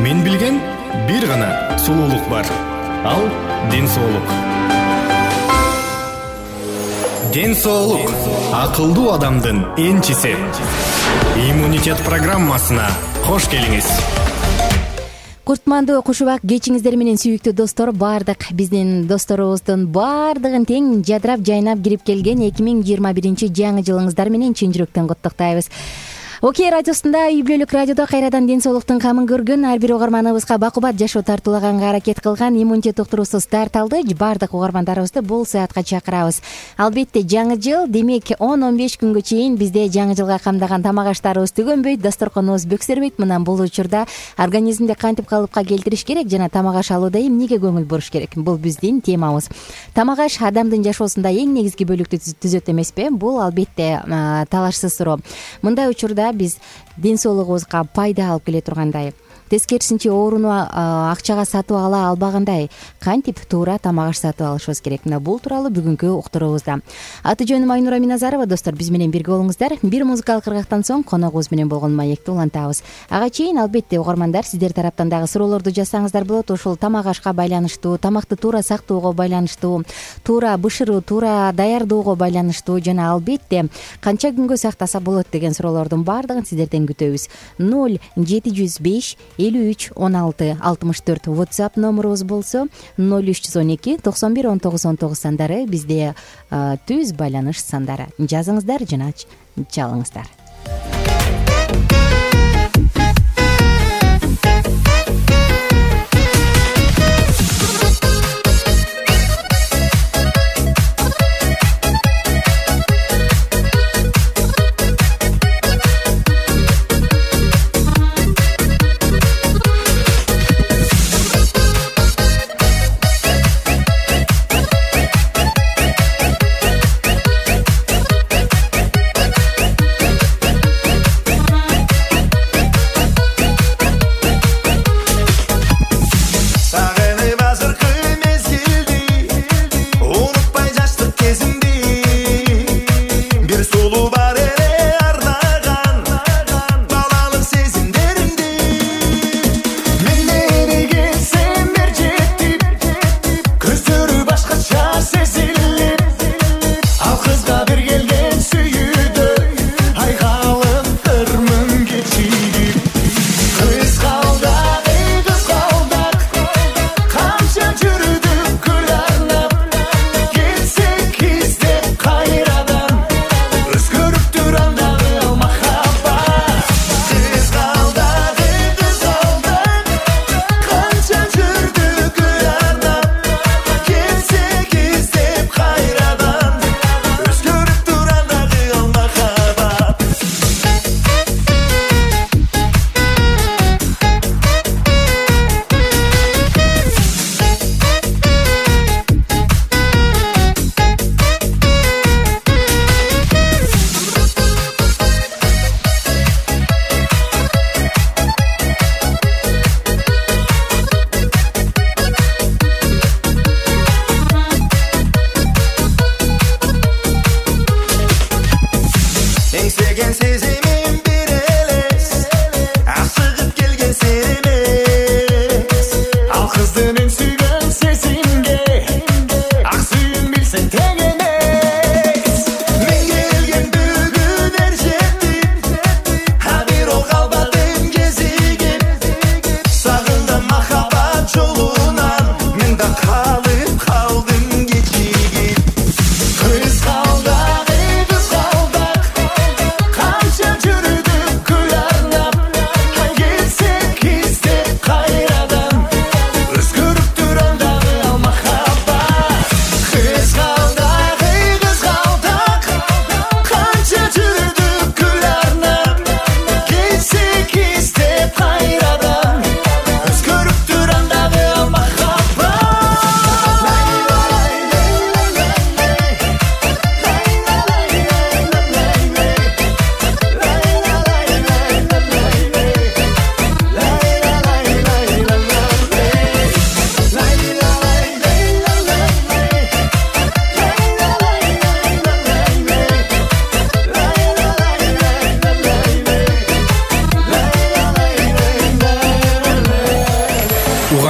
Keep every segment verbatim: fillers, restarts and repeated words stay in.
Мен билген бир гана сулуулук бар. Ал ден соолук. Ден соолук акылдуу адамдын энчиси. Иммунитет программасына кош келиңиз. Куртмандуу кушубак кечиңиздер менен сүйүктүү достор, баардык биздин досторубуздун баардыгын тең жадырап жайнап кирип келген эки миң жыйырма биринчи жаңы жылыңыздар менен чын жүрөктөн куттуктайбыз. Окей радиосунда, үй бүлөлүк радиодо кайрадан ден соолуктун камын көргөн ар бир угарманыбызга бакубат жашоо тартуулаганга аракет кылган иммунитет уктуруусу старт алды. Баардык угармандарыбызды бул саатка чакырабыз. Албетте жаңы жыл, демек он он беш күнгө чейин бизде жаңы жылга камдаган тамак аштарыбыз түгөнбөйт, дасторконубуз бөксөрбөйт. Мындан бул учурда организмди кантип калыпка келтириш керек жана тамак аш алууда эмнеге көңүл буруш керек? Бул биздин темабыз. Тамак аш адамдын жашоосунда эң негизги бөлүктү түзөт эмеспи? Бул албетте талашсыз суроо. Мындай учурда биз ден соолугубузга пайда алып келе тургандай, тескерисинче ооруну акчага сатып ала албагандай кантип туура тамак аш сатып алышыбыз керек? Мына бул тууралуу бүгүнкү уктуруубузда. Аты жөнүм Айнура Миназарова. Достор, биз менен бирге болуңуздар. Бир музыкалык ыргактан соң коногубуз менен болгон маекти улантабыз. Ага чейин албетте угармандар, сиздер тараптан дагы суроолорду жазсаңыздар болот. Ушул тамак ашка байланыштуу, тамакты туура сактоого байланыштуу, туура бышыруу, туура даярдоого байланыштуу жана албетте канча күнгө сактаса болот деген суроолордун баардыгын сиздерден күтөбүз. ноль жети жүз беш элүү үч он алты алтымыш төрт WhatsApp номерубуз болсо, ноль үч жүз он эки токсон бир он тогуз он тогуз сандары бизде түз байланыш сандары. Жазыңыздар жана чалыңыздар.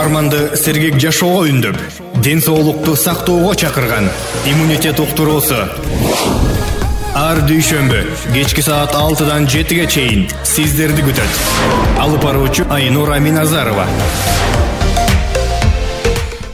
угарманды сергек жашоого үндөп, ден соолукту сактоого чакырган иммунитет уктуруусу. Ар дүйшөмбү кечки саат алтыдан жетиге чейин сиздерди күтөт. Алып баруучу Айнура Миназарова.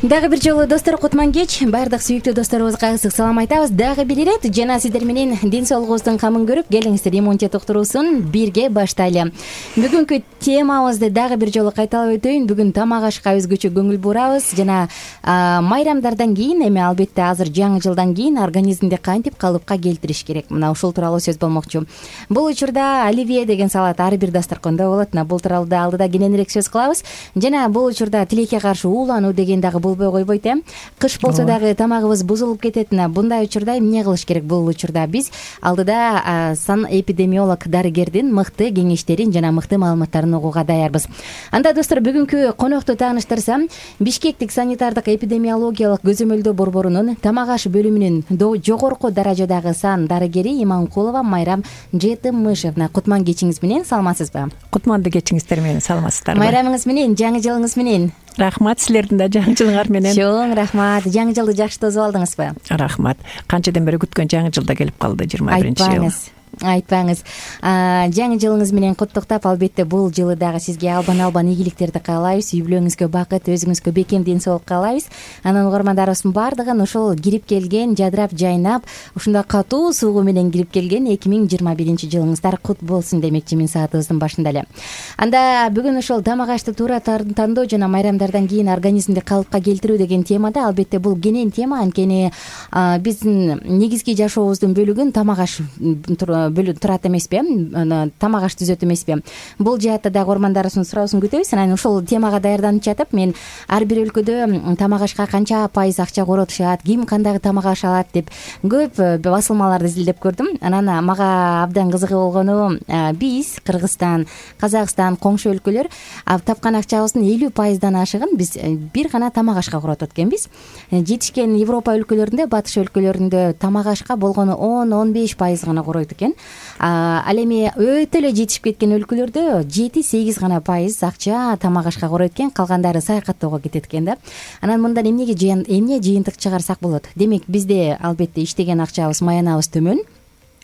Дагы бир жолу достор, кутман кеч. Баардык сүйүктүү досторубузга ысык салам айтабыз. Дагы бир ирет жана сиздер менен ден соолугубуздун камын көрүп, келиңиздер иммунитет уктуруусун бирге баштайлы. Бүгүнкү темабызды дагы бир жолу кайталап өтөйүн. Бүгүн тамак ашка өзгөчө көңүл бурабыз жана майрамдардан кийин, эми албетте азыр жаңы жылдан кийин организмди кантип калыпка келтириш керек. Мына ушул тууралуу сөз болмокчу. Бул учурда оливье деген салат ар бир дасторкондо болот. Мына бул тууралуу да алдыда кененирээк сөз кылабыз. Жана бул учурда тилекке каршы уулануу деген дагы болбой койбойт э. Кыш болсо дагы тамагыбыз бузулуп кетет. Мындай учурда эмне кылыш керек? Бул учурда биз алдыда сан эпидемиолог дарыгердин мыкты кеңештерин жана мыкты маалыматтарын угууга даярбыз. Анда достор, бүгүнкү конокту тааныштырсам, Бишкектик санитардык эпидемиологиялык көзөмөлдөө борборунун тамак аш бөлүмүнүн жогорку даражадагы сан дарыгери Иманкулова Майрам Жетимишевна. Кутман кечиңиз менен, саламатсызбы? Кутманды кечиңиздер менен, саламатсыздарбы? Майрамыңыз менен, жаңы жылыңыз менен. Рахмат, силердин да жаңы жылыңар менен. Чоң рахмат. Жаңы жылды жакшы тосуп алдыңызбы? Рахмат. Канчадан бери күткөн жаңы жылда келип калды, жыйырма биринчи жыл. Айтпаңыз. Жаңы жылыңыз менен куттуктап, албетте бул жылы дагы сизге албан-албан ийгиликтерди каалайбыз. Үй бүлөңүзгө бакыт, өзүңүзгө бекем ден соолук каалайбыз. Анан угармандарыбыздын баардыгын ушул кирип келген, жадырап жайнап, ушундай катуу суугу менен кирип келген эки миң жыйырма биринчи жылыңыздар кут болсун демекчимин саатыбыздын башында эле. Анда бүгүн ушул тамак ашты туура тандоо жана майрамдардан кийин организмди калыпка келтирүү деген темада, албетте бул кенен тема. Анткени биздин негизги жашообуздун бөлүгүн тамак аш турат эмеспи, тамак аш түзөт эмеспи. Бул жаатта дагы угармандарыбыздын суроосун күтөбүз. Анан ушул темага даярданып жатып, мен ар бир өлкөдө тамак ашка канча пайыз акча коротушат, ким кандай тамак аш алат деп көп басылмаларды изилдеп көрдүм. Анан мага абдан кызыгы болгону, биз Кыргызстан, Казакстан, коңшу өлкөлөр тапкан акчабыздын элүү пайыздан ашыгын биз бир гана тамак ашка коротот экенбиз. Жетишкен Европа өлкөлөрүндө, батыш өлкөлөрүндө тамак ашка болгону он он беш пайыз гана коройт экен. Ал эми өтө эле жетишип кеткен өлкөлөрдө жети сегиз гана пайыз акча тамак ашка коройт экен, калгандары саякаттоого кетет экен да. Анан мындан эмнеге эмне жыйынтык чыгарсак болот? Демек, бизде албетте иштеген акчабыз, маянабыз төмөн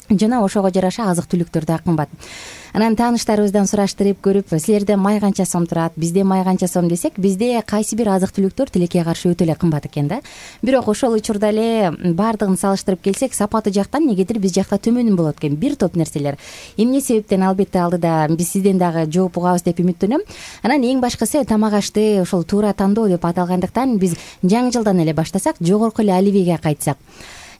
жана ошого жараша азык түлүктөр да кымбат. Анан тааныштарыбыздан сураштырып көрүп, силерде май канча сом турат, бизде май канча сом десек, бизде кайсы бир азык түлүктөр тилекке каршы өтө эле кымбат экен да. Бирок ошол учурда эле баардыгын салыштырып келсек, сапаты жактан негедир биз жакта төмөн болот экен бир топ нерселер. Эмне себептен, албетте алдыда биз сизден дагы жооп угабыз деп үмүттөнөм. Анан эң башкысы, тамак ашты ошол туура тандоо деп аталгандыктан биз жаңы жылдан эле баштасак, жогорку эле оливьеге кайтсак.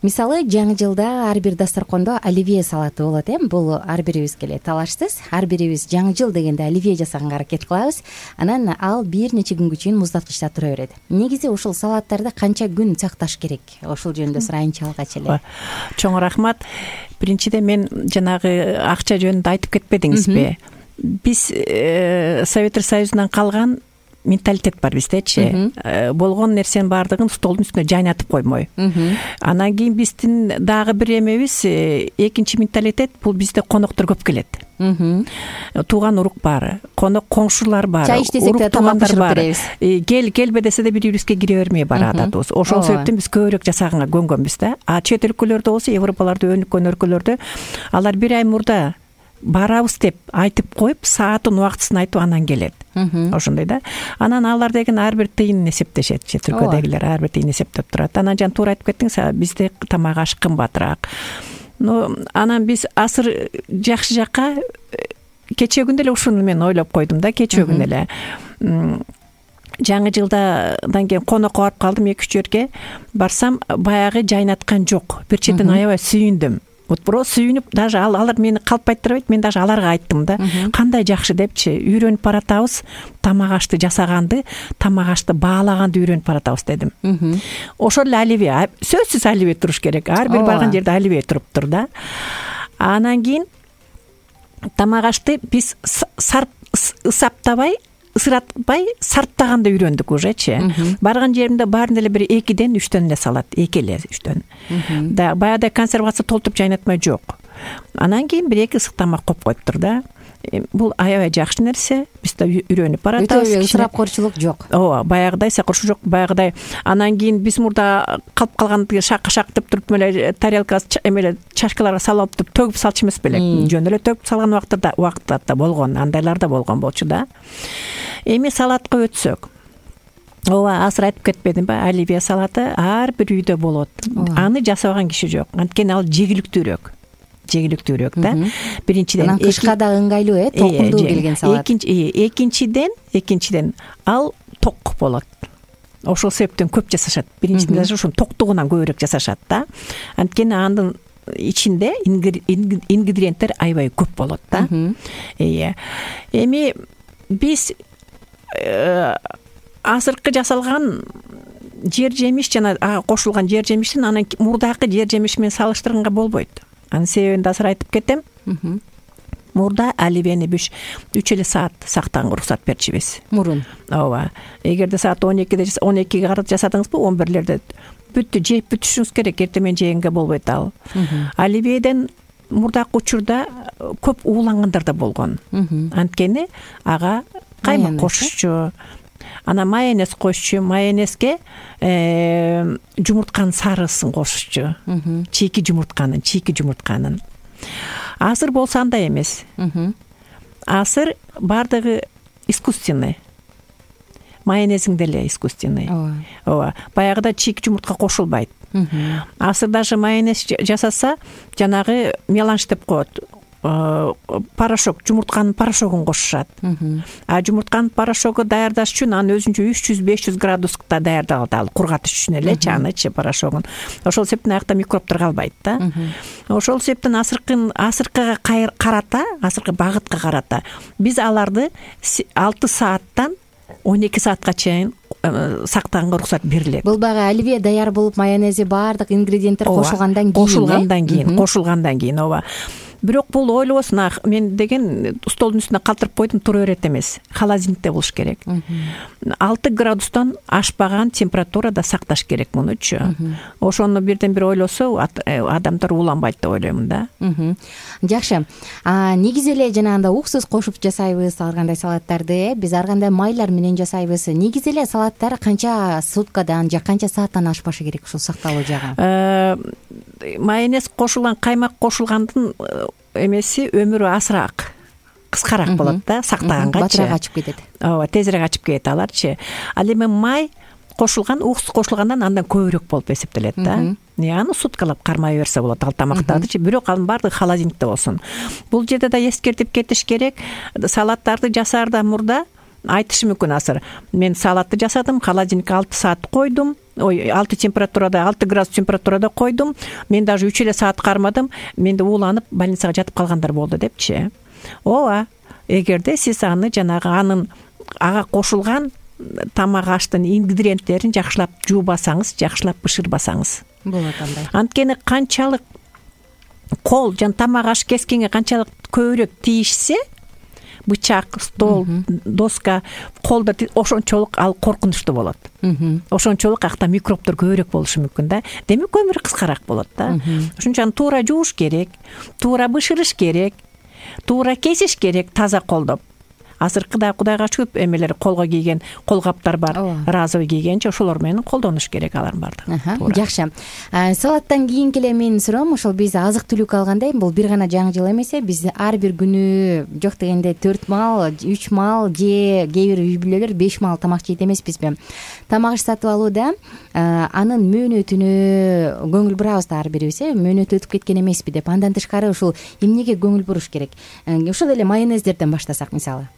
Мисалы, жаңы жылда ар бир дасторкондо оливье салаты болот э. Бул ар бирибизге эле талашсыз. Ар бирибиз жаңы жыл дегенде оливье жасаганга аракет кылабыз. Анан ал бир нече күнгө чейин муздаткычта тура берет. Негизи ушул салаттарды канча күн сакташ керек? Ошол жөнүндө сурайынчы алгач эле. Чоң рахмат. Биринчиден, мен жанагы акча жөнүндө айтып кетпедиңизби? Биз Советтер Союзунан калган менталитет бар биздечи. Болгон нерсенин баардыгын столдун үстүнө жайнатып коймой. Анан кийин биздин дагы бир эмебиз, экинчи менталитет, бул бизде коноктор көп келет. Тууган урук бар, конок коңшулар бар, чай иштесек да тамак бышырып беребиз. Кел келбе десе да бири-бирибизге кире бермей баратабыз. Ошол себептен биз көбүрөөк жасаганга көнгөнбүз да. А чет өлкөлөрдө болсо, Европаларда өнүккөн өлкөлөрдө алар бир ай мурда барабыз деп айтып коюп, саатын убактысын айтып анан келет. Ошондой да. Анан алар деген ар бир тыйын эсептешет, чет өлкөдөгүлөр ар бир тыйын эсептеп турат. Анан жана туура айтып кеттиңиз, бизде тамак аш кымбатыраак. Но анан биз асыр жакшы жакка кечээ эле ушуну мен ойлоп койдум да, кечээ күнү эле. Жаңы жылдан кийин конокко барып калдым, эки үч жерге барсам, баягы жайнаткан жок. Бир четен аябай сүйүндүм. Вот просто сүйүнүп, даже алар мени калпайт турбайт, мен даже аларга айттым да, кандай жакшы депчи, үйрөнүп баратабыз, тамак ашты жасаганды, тамак ашты баалаганды үйрөнүп баратабыз дедим. Ошол эле оливье, сөзсүз оливье туруш керек. Ар бир барган жерде оливье туруптур да. Анан кийин тамак ашты биз сарп ысаптабай, ысыратпай сарптаганды үйрөндүк ужечи. Барган жеримде баарын эле бир экиден үчтөн эле салат, эки эле үчтөн. Да баягыдай консервация толтуруп жайнатмай жок. Анан кийин бир эки ысык тамак коюп коюптур да. бул аябай жакшы нерсе. Биз да үйрөнүп баратабыз. Өтө ысырапкорчулук жок. Ооба, баягыдай ысырапкорчулук жок. Баягыдай анан кийин биз мурда калып калган шак-шак деп туруп эле тарелка эмеле чашкаларга салып алып төгүп салчу эмес белек. Жөн эле төгүп салган убактта убактта болгон, андайлар да болгон болчу да. Эми салатка өтсөк. Ооба, азыр айтып кетпедим ба, оливье салаты ар бир үйдө болот. Аны жасабаган киши жок. Анткени ал жегиликтүүрөөк. Жегиликтүүрөөк да. Биринчиден анан кышка да ыңгайлуу, э, толкундуу келген салат. Экинчи, экинчиден, экинчиден ал ток болот. Ошол себептен көп жасашат. Биринчиден ошонун токтугунан көбүрөөк жасашат да. Анткени анын ичинде ингредиенттер аябай көп болот да. Ыя. Эми биз азыркы жасалган жер жемиш жана ага кошулган жер жемиштин анан мурдакы жер жемиш менен салыштырганга болбойт. Анын себебин да азыр айтып кетем. Мурда оливьени биз үч эле саат сактаганга уруксат берчүбүз. Мурун. Ооба. Эгерде саат он экиде он экиге карата жасадыңызбы, он бирлерде бүттү жеп бүтүшүңүз керек, эртең менен жегенге болбойт ал. Оливьеден мурдакы учурда көп уулангандар да болгон. Анткени ага каймак кошчу, ана майонез кошчу, майонезге жумуртканын сарысын кошчу. Чийки жумуртканын, чийки жумуртканын. Азыр болсо андай эмес. Азыр бардыгы искусственный. Майонезиң деле искусственный. Ооба. Баягыда чийки жумуртка кошулбайт. Азыр даже майонез жасаса, жанагы меланж деп коет. Порошок, жумуртканын порошогун кошушат. А жумуртканын порошогу даярдаш үчүн аны өзүнчө үч жүз беш жүз градуста даярдалат, ал кургатыш үчүн эле чанычы порошогун. Ошол себептен аякта микробдор калбайт да. Ошол себептен азыркы азыркыга карата, азыркы багытка карата биз аларды алты сааттан он эки саатка чейин сактаганга уруксат берилет. Бул баягы оливье даяр болуп, майонези баардык ингредиенттер кошулгандан кийин. Кошулгандан кийин, кошулгандан кийин, ооба. Бирок бул ойлобосун, мен деген столдун үстүнө калтырып койдум, тура берет эмес. Холодильникте болуш керек. алты градустан ашпаган температурада сакташ керек мунучу. Ошону бирден бир ойлосо адамдар ууланбайт деп ойлоймун да. Жакшы. Негизи эле жанагындай уксус кошуп жасайбыз ар кандай салаттарды, биз ар кандай майлар менен жасайбыз. Негизи эле салаттар канча суткадан же канча сааттан ашпашы керек ушул сакталуу жагы? Майонез кошулган, каймак кошулгандын эмеси өмүрү азыраак, кыскараак болот да, сактаганга. Батыраак ачып кетет. Ооба, тезирээк ачып кетет аларчы. Ал эми май кошулган, уксус кошулгандан андан көбүрөөк болуп эсептелет да. Аны суткалап кармай берсе болот ал тамактарды, бирок анын баардыгы холодильникте болсун. Бул жерде да эскертип кетиш керек. Салаттарды жасаарда мурда айтышы мүмкүн азыр. Мен салатты жасадым, холодильникке алты саат койдум. Ой, алты температурада, алты градус температурада койдум. Мен даже үч эле саат кармадым. Менде ууланып, больницага жатып калгандар болду депчи. Ооба, эгерде сиз аны жанагы анын ага кошулган тамак аштын ингредиенттерин жакшылап жуубасаңыз, жакшылап бышырбасаңыз болот андай. Анткени канчалык кол жана тамак аш кескенге канчалык көбүрөөк тийишсе, бычак, стол, доска, колдо ошончолук ал коркунучтуу болот. Ошончолук акта микробдор көбүрөөк болушу мүмкүн да. Демек өмүр кыскараак болот да. Ошон үчүн туура жууш керек, туура бышырыш керек, туура кесиш керек таза колдоп. Азыркыда Кудайга шүгүп эмелер колго кийген колгаптар бар, разовый кийгенчи, ошолор менен колдонуш керек алардын баардыгы. Жакшы. Салаттан кийинки эле менин суроом, ошол биз азык түлүк алгандай, бул бир гана жаңы жыл эмес, биз ар бир күнү жок дегенде төрт мал, үч мал же кээ бир үй бүлөлөр беш мал тамак жейт эмеспизби? Тамак сатып алууда анын мөөнөтүнө көңүл бурабыз да ар бирибиз, э, мөөнөтү өтүп кеткен эмеспи деп. Андан тышкары ушул эмнеге көңүл буруш керек? Ошол эле майонездерден баштасак мисалы.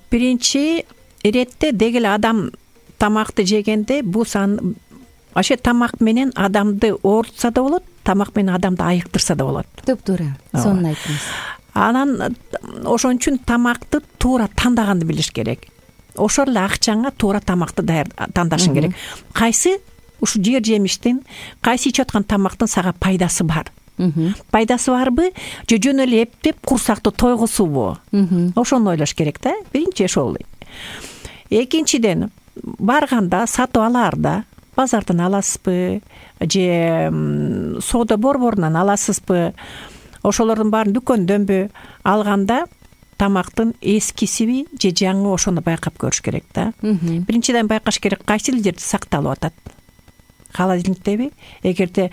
Биринчи иретте деги эле адам тамакты жегенде бул сан ошо тамак менен адамды оорутса да болот, тамак менен адамды айыктырса да болот. Туп-туура. Сонун айттыңыз. Анан ошон үчүн тамакты туура тандаганды билиш керек. Ошол эле акчаңа туура тамакты тандашың керек. Кайсы ушу жер жемиштин, кайсы ичип аткан тамактын сага пайдасы бар? Пайдасы барбы же жөн эле эптеп курсакты тойгусубу? Ошону ойлош керек да. Биринчи ошол. Экинчиден, барганда, сатып алаарда базардан аласызбы же соода борборунан аласызбы? ошолордун баарын дүкөндөнбү алганда тамактын эскисиби же жаңы ошону байкап көрүш керек да. Биринчиден байкаш керек кайсы жерде сакталып атат. Холодильниктеби? Эгерде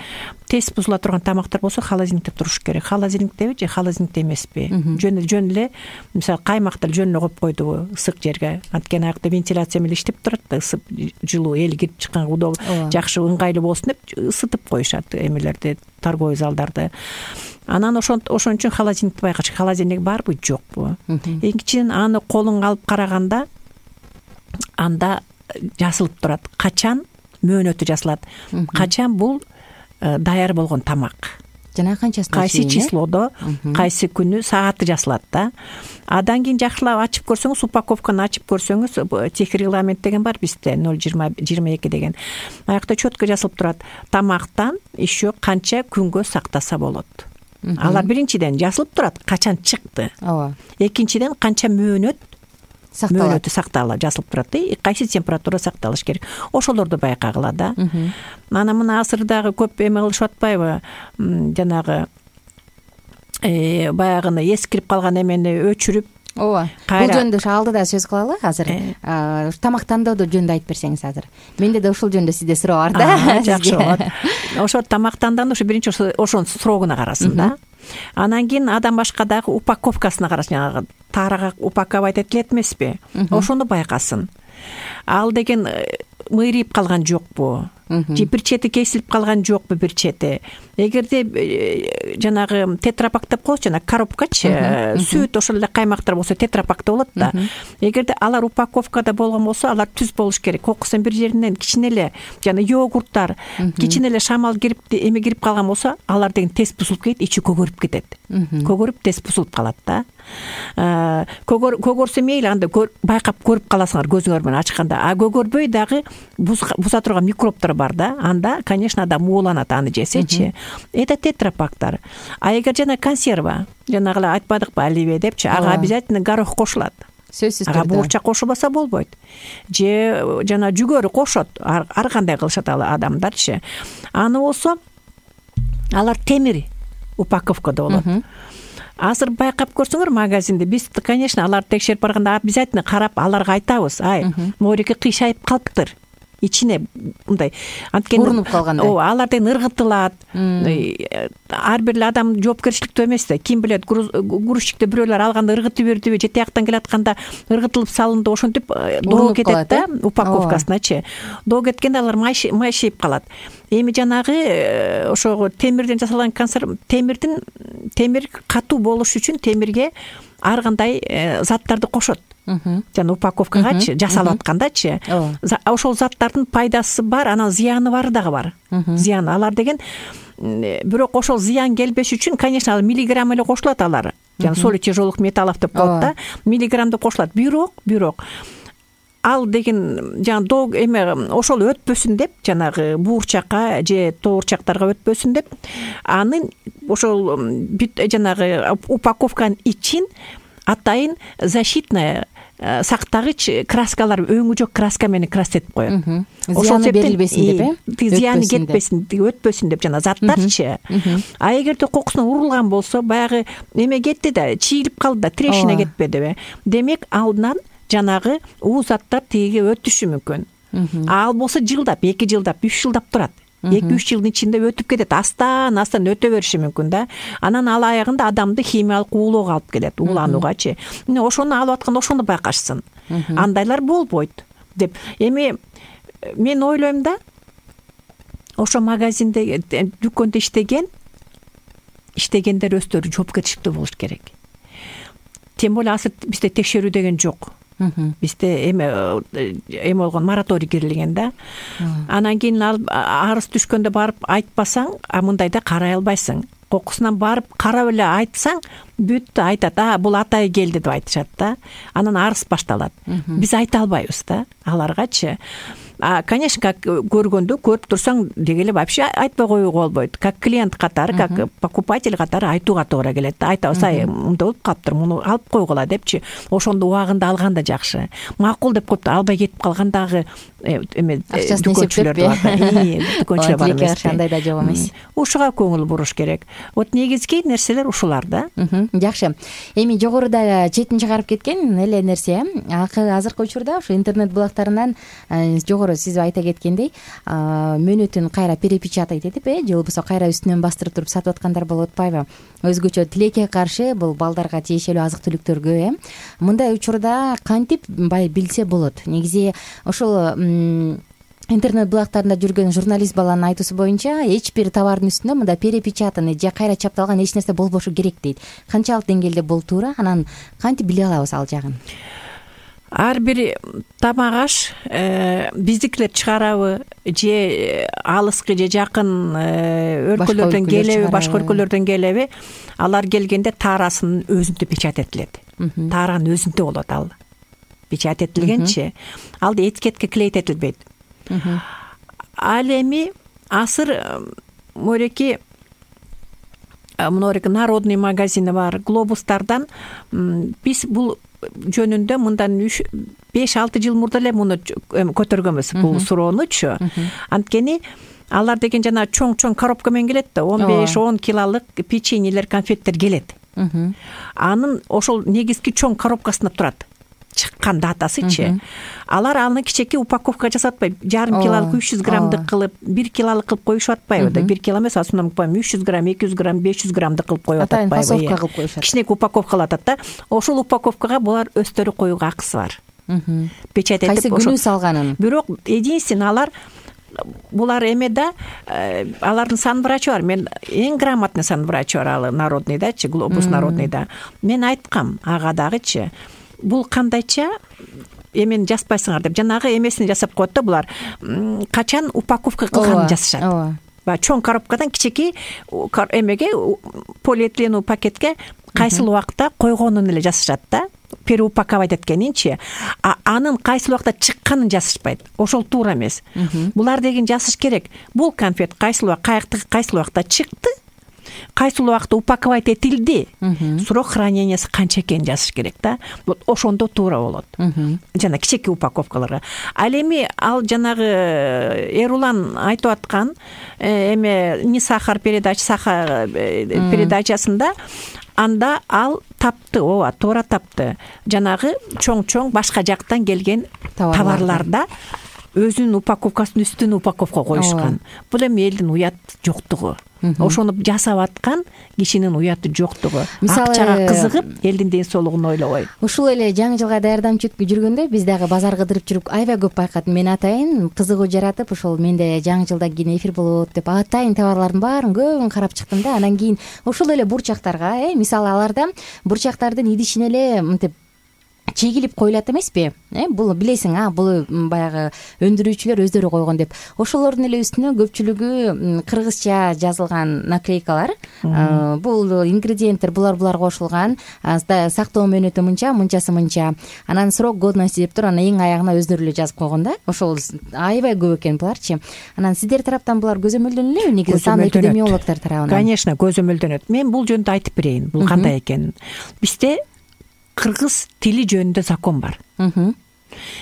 тез бузула турган тамактар болсо холодильникте туруш керек. Холодильниктеби же холодильникте эмеспи? Жөн жөн эле мисалы каймактар жөн эле коюп койдубу ысык жерге. Анткени аякта вентиляция менен иштеп турат да, ысып жылуу эл кирип чыкканга удобно, жакшы ыңгайлуу болсун деп ысытып коюшат эмелерди, торговый залдарды. Анан ошон ошон үчүн холодильникти байкаш. Холодильник барбы, жокпу? Экинчиден аны колуңа алып караганда анда жазылып турат. Качан мөөнөтү жазылат. Качан бул даяр болгон тамак. Жана канчасы кайсы числодо, кайсы күнү, сааты жазылат да. Адан кийин жакшылап ачып көрсөңүз, упаковканы ачып көрсөңүз, тех регламент деген бар бизде ноль жыйырма жыйырма эки деген. Аякта чөткө жазылып турат. Тамактан еще канча күнгө сактаса болот. Алар биринчиден жазылып турат, качан чыкты. Ооба. Экинчиден канча мөөнөт сакталат. Мөөнөтү сакталат, жазылып турат. Кайсы температура сакталыш керек. Ошолорду байкагыла да. Анан мына азырдагы көп эме кылышып атпайбы? Жанагы э баягыны эскирип калган эмени өчүрүп. Ооба. Бул жөнүндө алдыда сөз кылалы азыр. Тамактандоодо жөнүндө айтып берсеңиз азыр. Менде да ушул жөнүндө сизде суроо бар да. Жакшы болот. Ошо тамактандан ушу биринчи ошонун срогуна карасын да. Анан кийин адам башка дагы упаковкасына карасын, жанагы тарага упаковать этилет эмеспи? Ошону байкасын. Ал деген мыйрыйып калган жокпу? Же бир чети кесилип калган жокпу бир чети? Эгерде жанагы тетрапак деп коебуз, жана коробкачы, сүт ошол эле каймактар болсо тетрапакта болот да. Эгерде алар упаковкада болгон болсо, алар түз болуш керек. Кокусун бир жеринен кичине эле жана йогурттар, кичине эле шамал кирип, эме кирип калган болсо, алар деген тез бузулуп кетет, ичи көгөрүп кетет. Көгөрүп тез бузулуп калат да. Көгөрсө мейли, анда байкап көрүп каласыңар көзүңөр менен ачканда. А көгөрбөй дагы буза турган микробтор бар да. Анда, конечно, адам ууланат аны жесечи. Это тетрапактар. А эгер жана консерва, жанагы эле айтпадыкпы, оливье депчи, ага обязательно горох кошулат. Сөзсүз түрдө. Ага буурчак кошулбаса болбойт. Же жана жүгөрү кошот. Ар кандай кылышат ал адамдарчы. Аны болсо алар темир упаковкада болот. Азыр байкап көрсөңөр магазинде, биз, конечно, аларды текшерип барганда обязательно карап, аларга айтабыз. Ай, моореке кыйшайып калыптыр. Ичине мындай анткени урунуп калгандай. Ооба, алардан ыргытылат. Ар бир адам жоопкерчиликтүү эмес да. Ким билет, грузчикте бирөөлөр алганда ыргытып бердиби, же тияктан келатканда ыргытылып салынды, ошентип доо кетет да, упаковкасыначы. Доо кеткенде алар майшайып калат. Эми жанагы ошого темирден жасалган консерв, темирдин темир катуу болуш үчүн темирге ар кандай заттарды кошот. Жана упаковкагачы жасалып аткандачы. Ошол заттардын пайдасы бар, анан зыяны бары дагы бар. Зыян алар деген, бирок ошол зыян келбеш үчүн, конечно, ал миллиграмм эле кошулат алар. Жана соли тяжелых металлов деп коет да. Миллиграммда кошулат. Бирок, бирок ал деген жана доо эме ошол өтпөсүн деп, жанагы буурчакка же тоорчактарга өтпөсүн деп, анын ошол жанагы упаковканын ичин атайын защитная сактагыч краскалар, өңү жок краска менен красетип коет. Зыяны берилбесин деп, э? Зыяны кетпесин, өтпөсүн деп жана заттарчы. А эгерде кокусуна урулган болсо, баягы эме кетти да, чийилип калды да, трешина кетпедиби? Демек, алдан жанагы уу заттар тиги өтүшү мүмкүн. Ал болсо жылдап, эки жылдап, үч жылдап турат. эки үч жылдын ичинде өтүп кетет, астан астан өтө бериши мүмкүн да. Анан ал аягында адамды химиялык уулоого алып келет, уулануугачы. Мына ошону алып атканда ошону байкашсын. Андайлар болбойт деп. Эми мен ойлойм да, ошо магазинде, дүкөндө иштеген иштегендер өздөрү жоопкерчиликтүү болуш керек. Тем более азыр бизде текшерүү деген жок. Бизде эме эме болгон мораторий кирилген да. Анан кийин арыз түшкөндө барып айтпасаң, а мындайда карай албайсың. Кокусунан барып карап эле айтсаң, бүттү, айтат, а бул атай келди деп айтышат да. Анан арыз башталат. Биз айта албайбыз да аларгачы. А, конечно, как көргөндө, көрүп турсаң дегеле вообще айтпай коюуга болбойт. Как клиент катары, как покупатель катары айтууга туура келет. Айтабыз, ай, мындай болуп калыптыр, муну алып койгула депчи. Ошондо убагында алган да жакшы. Макул деп коюп албай кетип калгандагы эме акчасын дүкөнчүлөр бар да. Дүкөнчүлөр бар эмес. Тилекке андай да жок эмес. Ушуга көңүл буруш керек. Вот негизги нерселер ушулар да. Жакшы. Эми жогоруда четин чыгарып кеткен эле нерсе азыркы учурда ушу интернет булактарынан жогору сиз айта кеткендей мөөнөтүн кайра перепечатать этип э же болбосо кайра үстүнөн бастырып туруп сатып аткандар болуп атпайбы? Өзгөчө тилекке каршы бул балдарга тиешелүү азык түлүктөргө э мындай учурда кантип бай билсе болот? Негизи ошол интернет булактарында жүргөн журналист баланын айтуусу боюнча эч бир товардын үстүндө мындай перепечатанный же кайра чапталган эч нерсе болбошу керек дейт. Канчалык деңгээлде бул туура? Анан кантип биле алабыз ал жагын? Ар бир тамак аш биздикилер чыгарабы же алыскы же жакын өлкөлөрдөн келеби, башка өлкөлөрдөн келеби, алар келгенде таарасын өзүндө печать этилет. Тааранын өзүндө болот ал. Печать этилгенчи ал этикетке клейт этилбейт. Ал эми азыр мореки мынореки народный магазини бар, глобустардан биз бул жөнүндө мындан беш алты жыл мурда эле муну көтөргөнбүз бул суроонучу. Анткени алар деген жана чоң-чоң коробка менен келет да, он беш он килолук печеньелер, конфеттер келет. Анын ошол негизги чоң коробкасында турат. Чыккан датасычы. Алар аны кичеке упаковка жасап атпайбы. Жарым килолук үч жүз граммдык кылып, бир килолук кылып коюшуп атпайбы да. бир кило эмес, асынан үч жүз грамм, эки жүз грамм, беш жүз граммдык кылып коюп атпайбы. Упаковка кылып коюшат. Кичинекей упаковкалап атат да. Ошол упаковкага булар өздөрү коюуга акысы бар. Печать этип кайсы күнү салганын. Бирок единственно алар булар эме да, алардын санврачы бар. Мен эң грамотный санврачы бар, ал народный дачы, глобус народный да. Мен айткам ага дагычы, бул кандайча эмени жазбайсыңар деп, жанагы эмесин жасап коет да булар. Качан упаковка кылганын жазышат. Ба чоң коробкадан кичеки эмеге, полиэтиленовый пакетке кайсыл убакта койгонун эле жазышат да. Переупаковать эткенинчи, а анын кайсыл убакта чыкканын жазышпайт. Ошол туура эмес. Булар деген жазыш керек. Бул конфет кайсыл убакта, кайсыл убакта чыкты, кайсыл убакта упаковать этилди, срок хранениясы канча экенин жазыш керек да. Вот ошондо туура болот. Жана кичеки упаковкаларга. Ал эми ал жанагы Эрулан айтып аткан эме не сахар передача, сахар передачасында анда ал тапты, ооба, туура тапты. Жанагы чоң-чоң башка жактан келген товарларда өзүнүн упаковкасын үстүнө упаковка коюшкан. Бул эми элдин уят жоктугу. Ошону жасап аткан кишинин уяты жоктугу. Акчага кызыгып, элдин ден соолугун ойлобой. Ушул эле жаңы жылга даярданып жүргөндө биз дагы базар кыдырып жүрүп аябай көп байкадым. Мен атайын кызыгуу жаратып, ошол менде жаңы жылда кийин эфир болот деп атайын товарлардын баарын көбүн карап чыктым да. Анан кийин ошол эле бурчактарга, э, мисалы аларда бурчактардын идишине эле мынтип чегилип коюлат эмеспи? Э, бул билесиң, а бул баягы өндүрүүчүлөр өздөрү койгон деп. Ошолордун эле үстүнө көпчүлүгү кыргызча жазылган наклейкалар. Бул ингредиенттер булар булар кошулган, сактоо мөөнөтү мынча, мынчасы мынча. Анан срок годности деп туруп, анан эң аягына өздөрү эле жазып койгон да. Ошол аябай көп экен буларчы. Анан сиздер тараптан булар көзөмөлдөнөлөбү? Негизи сан эпидемиологдор тарабынан. Конечно, көзөмөлдөнөт. Мен бул жөнүндө айтып берейин. Бул кандай экенин. Бизде кыргыз тили жөнүндө закон бар.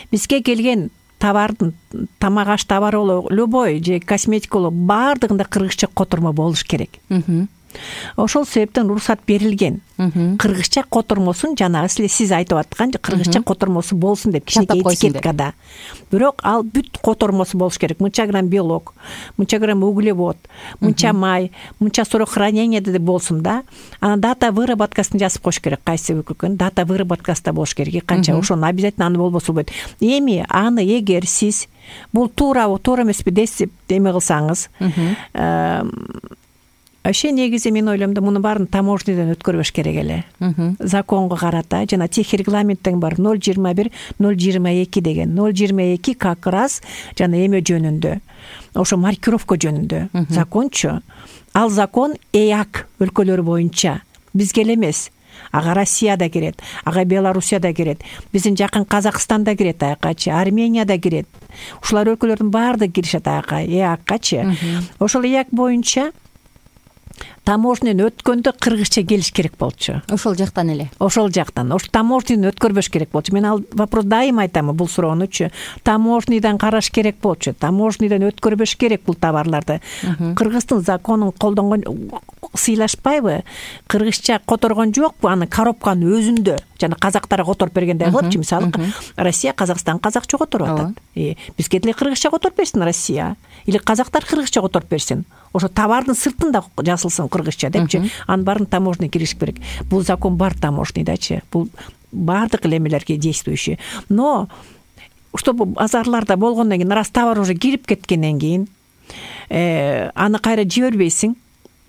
Бизге келген товардын, тамак аш товары болобу, любой же косметика болобу, баардыгында кыргызча котормо болуш керек. Ошол себептен уруксат берилген. Кыргызча котормосун жанагы силер сиз айтып аткан кыргызча котормосу болсун деп кичинекей этикеткада. Бирок ал бүт котормосу болуш керек. Мынча грамм белок, мынча грамм углевод, мынча май, мынча срок хранения деп болсун да. Анан дата выработкасын жазып коюш керек. Кайсы өкүлкөн дата выработкасында болуш керек. Канча ошону обязательно аны болбосо болбойт. Эми аны эгер сиз бул туура, туура эмеспи десип эме кылсаңыз, Ошо негизи мен ойлойм да муну баарын таможнядан өткөрбөш керек эле. Законго карата жана техрегламенттен бар ноль жыйырма бир ноль жыйырма эки деген. ноль жыйырма эки как раз жана эме жөнүндө. Ошо маркировка жөнүндө закончу. Ал закон ЭАК өлкөлөрү боюнча бизге эле эмес. Ага Россияда кирет, ага Белоруссияда кирет, биздин жакын Казакстанда кирет, аякачы Арменияда кирет. Ушулар өлкөлөрдүн баардыгы киришет ага ЭАКчы. Ошол ЭАК боюнча таможняны өткөндө кыргызча келиш керек болчу. Ошол жактан эле. Ошол жактан. Ошо таможняны өткөрбөш керек болчу. Мен ал вопрос дайыма айтам бул суроонучу. Таможнядан караш керек болчу. Таможнядан өткөрбөш керек бул товарларды. Кыргыздын законун колдонгон сыйлашпайбы? Кыргызча которгон жокпу? Аны коробканын өзүндө жана казактарга которуп бергендей кылыпчы. Мисалы, Россия Казакстан казакча которуп атат. Бизге деле кыргызча которуп берсин Россия. Или казактар кыргызча которуп берсин. Ошо товардын сыртында жазылсын кыргызча депчи. Анын баарын таможня киришип керек. Бул закон бар таможнядачы. Бул баардык элемелерге действующий. Но чтобы базарларда болгондон кийин раз товар уже кирип кеткенден кийин э аны кайра жибербейсиң.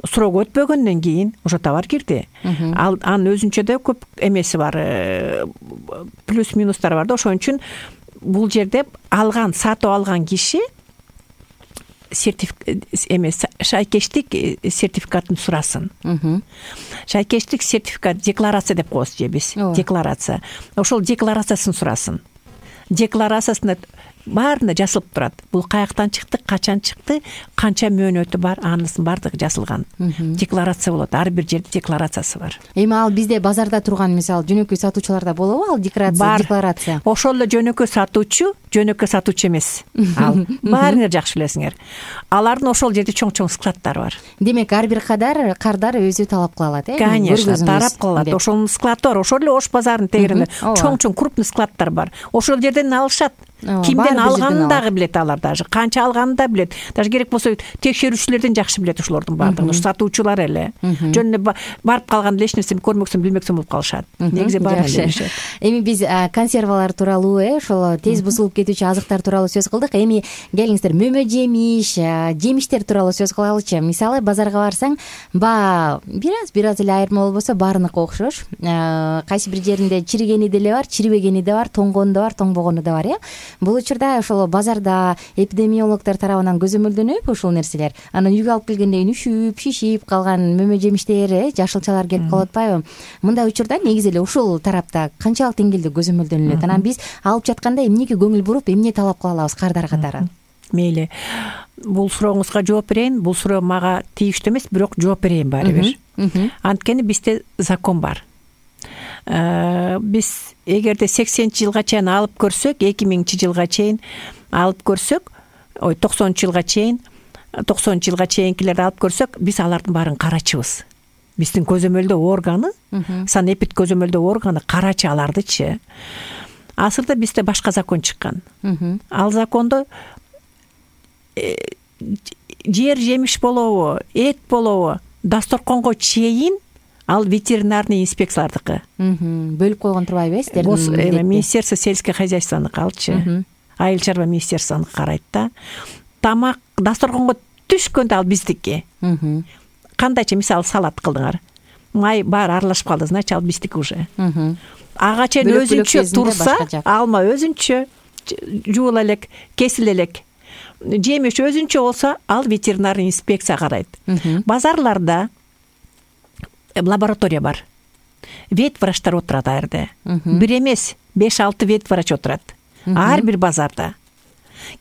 Суроо өтпөгөндөн кийин ошо товар кирди. Ал анын өзүнчө да көп эмеси бар, плюс минустары бар да. Ошон үчүн бул жерде алган, сатып алган киши сертификат эмес, шайкештик сертификатын сурасын. Шайкештик сертификат, декларация деп коебуз же биз. Декларация. Ошол декларациясын сурасын. Декларациясында баарында жазылып турат. Бул каяктан чыкты, качан чыкты, канча мөөнөтү бар, анысынын баардыгы жазылган. Декларация болот. Ар бир жерде декларациясы бар. Эми ал бизде базарда турган, мисалы, жөнөкөй сатуучуларда болобу ал декларация? Ошол эле жөнөкөй сатуучу, жөнөкөй сатуучу эмес. Ал баарыңар жакшы билесиңер. Алардын ошол жерде чоң-чоң складдары бар. Демек, ар бир кадар кардар өзү талап кыла алат, э? Конечно, тарап кыла алат. Ошол склад бар. Ошол эле Ош базарынын тегеринде чоң-чоң крупный складдар бар. Ошол жерден алышат. Кимден алганын дагы билет алар, даже канча алганын да билет. Даже керек болсо текшерүүчүлөрдөн жакшы билет ошолордун баардыгын. Сатуучулар эле. Жөн эле барып калганда эч нерсени көрмөксөң, билмөксөң болуп калышат. Негизи баары билишет. Эми биз консервалар тууралуу, э, ошол тез бузулуп кетүүчү азыктар тууралуу сөз кылдык. Эми келиңиздер, мөмө жемиш, жемиштер тууралуу сөз кылалычы. Мисалы, базарга барсаң, баа бир аз бир аз эле айырма болбосо баарыныкы окшош. Кайсы бир жеринде чиригени деле бар, чирибегени да бар, тоңгону да бар, тоңбогону да бар, э. Бул учурда ошол базарда эпидемиологдор тарабынан көзөмөлдөнөбү ушул нерселер? Анан үйгө алып келгенде үшүп, шишип калган мөмө жемиштер, э, жашылчалар келип калып атпайбы? Мындай учурда негизи эле ушул тарапта канчалык деңгээлде көзөмөлдөнүлөт? Анан биз алып жатканда эмнеге көңүл буруп, эмне талап кыла алабыз кардар катары? Мейли. Бул сурооңузга жооп берейин. Бул суроо мага тийиштүү эмес, бирок жооп берейин баары бир. Анткени бизде закон бар. Биз эгерде сексенинчи жылга чейин алып көрсөк, эки миңинчи жылга чейин алып көрсөк, ой токсонунчу жылга чейин, токсонунчу жылга чейинкилерди алып көрсөк, биз алардын баарын карачыбыз. Биздин көзөмөлдөө органы, санэпид көзөмөлдөө органы карачы алардычы. Азырда бизде башка закон чыккан. Ал закондо жер жемиш болобу, эт болобу, дасторконго чейин ал ветеринарный инспекциялардыкы. Бөлүп койгон турбайбы сиздердин? Министерство сельское хозяйствонуку алчы. Айыл чарба министерствонуку карайт да. Тамак дасторконго түшкөндө ал биздики. Кандайча, мисалы, салат кылдыңар. Май бар аралашып калды, значит ал биздики уже. Ага чейин өзүнчө турса, алма өзүнчө жуула элек, кесиле элек. Жемиш өзүнчө болсо, ал ветеринарный инспекция карайт. Базарларда лаборатория бар. Ветврачтар отурат ар жерде. Бир эмес, беш алты ветврач отурат. Ар бир базарда.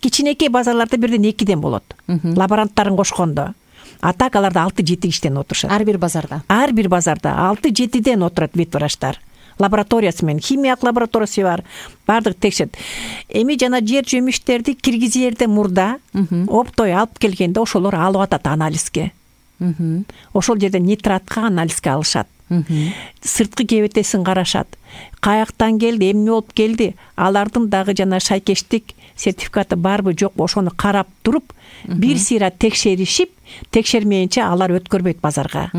Кичинекей базарларда бирден экиден болот. Лаборанттарын кошкондо. А так аларда алты жети киштен отурушат. Ар бир базарда. Ар бир базарда алты жетиден отурат ветврачтар. Лабораториясы менен, химиялык лабораториясы бар. Бардык текшерет. Эми жана жер жемиштерди киргизерде мурда оптой алып келгенде ошолор алып атат анализге. Ошол жерде нитратка анализге алышат. Сырткы кебетесин карашат. Каяктан келди, эмне болуп келди? Алардын дагы жана шайкештик сертификаты барбы, жокпу, ошону карап туруп, бир сыйра текшеришип, текшермейинче алар өткөрбөйт базарга.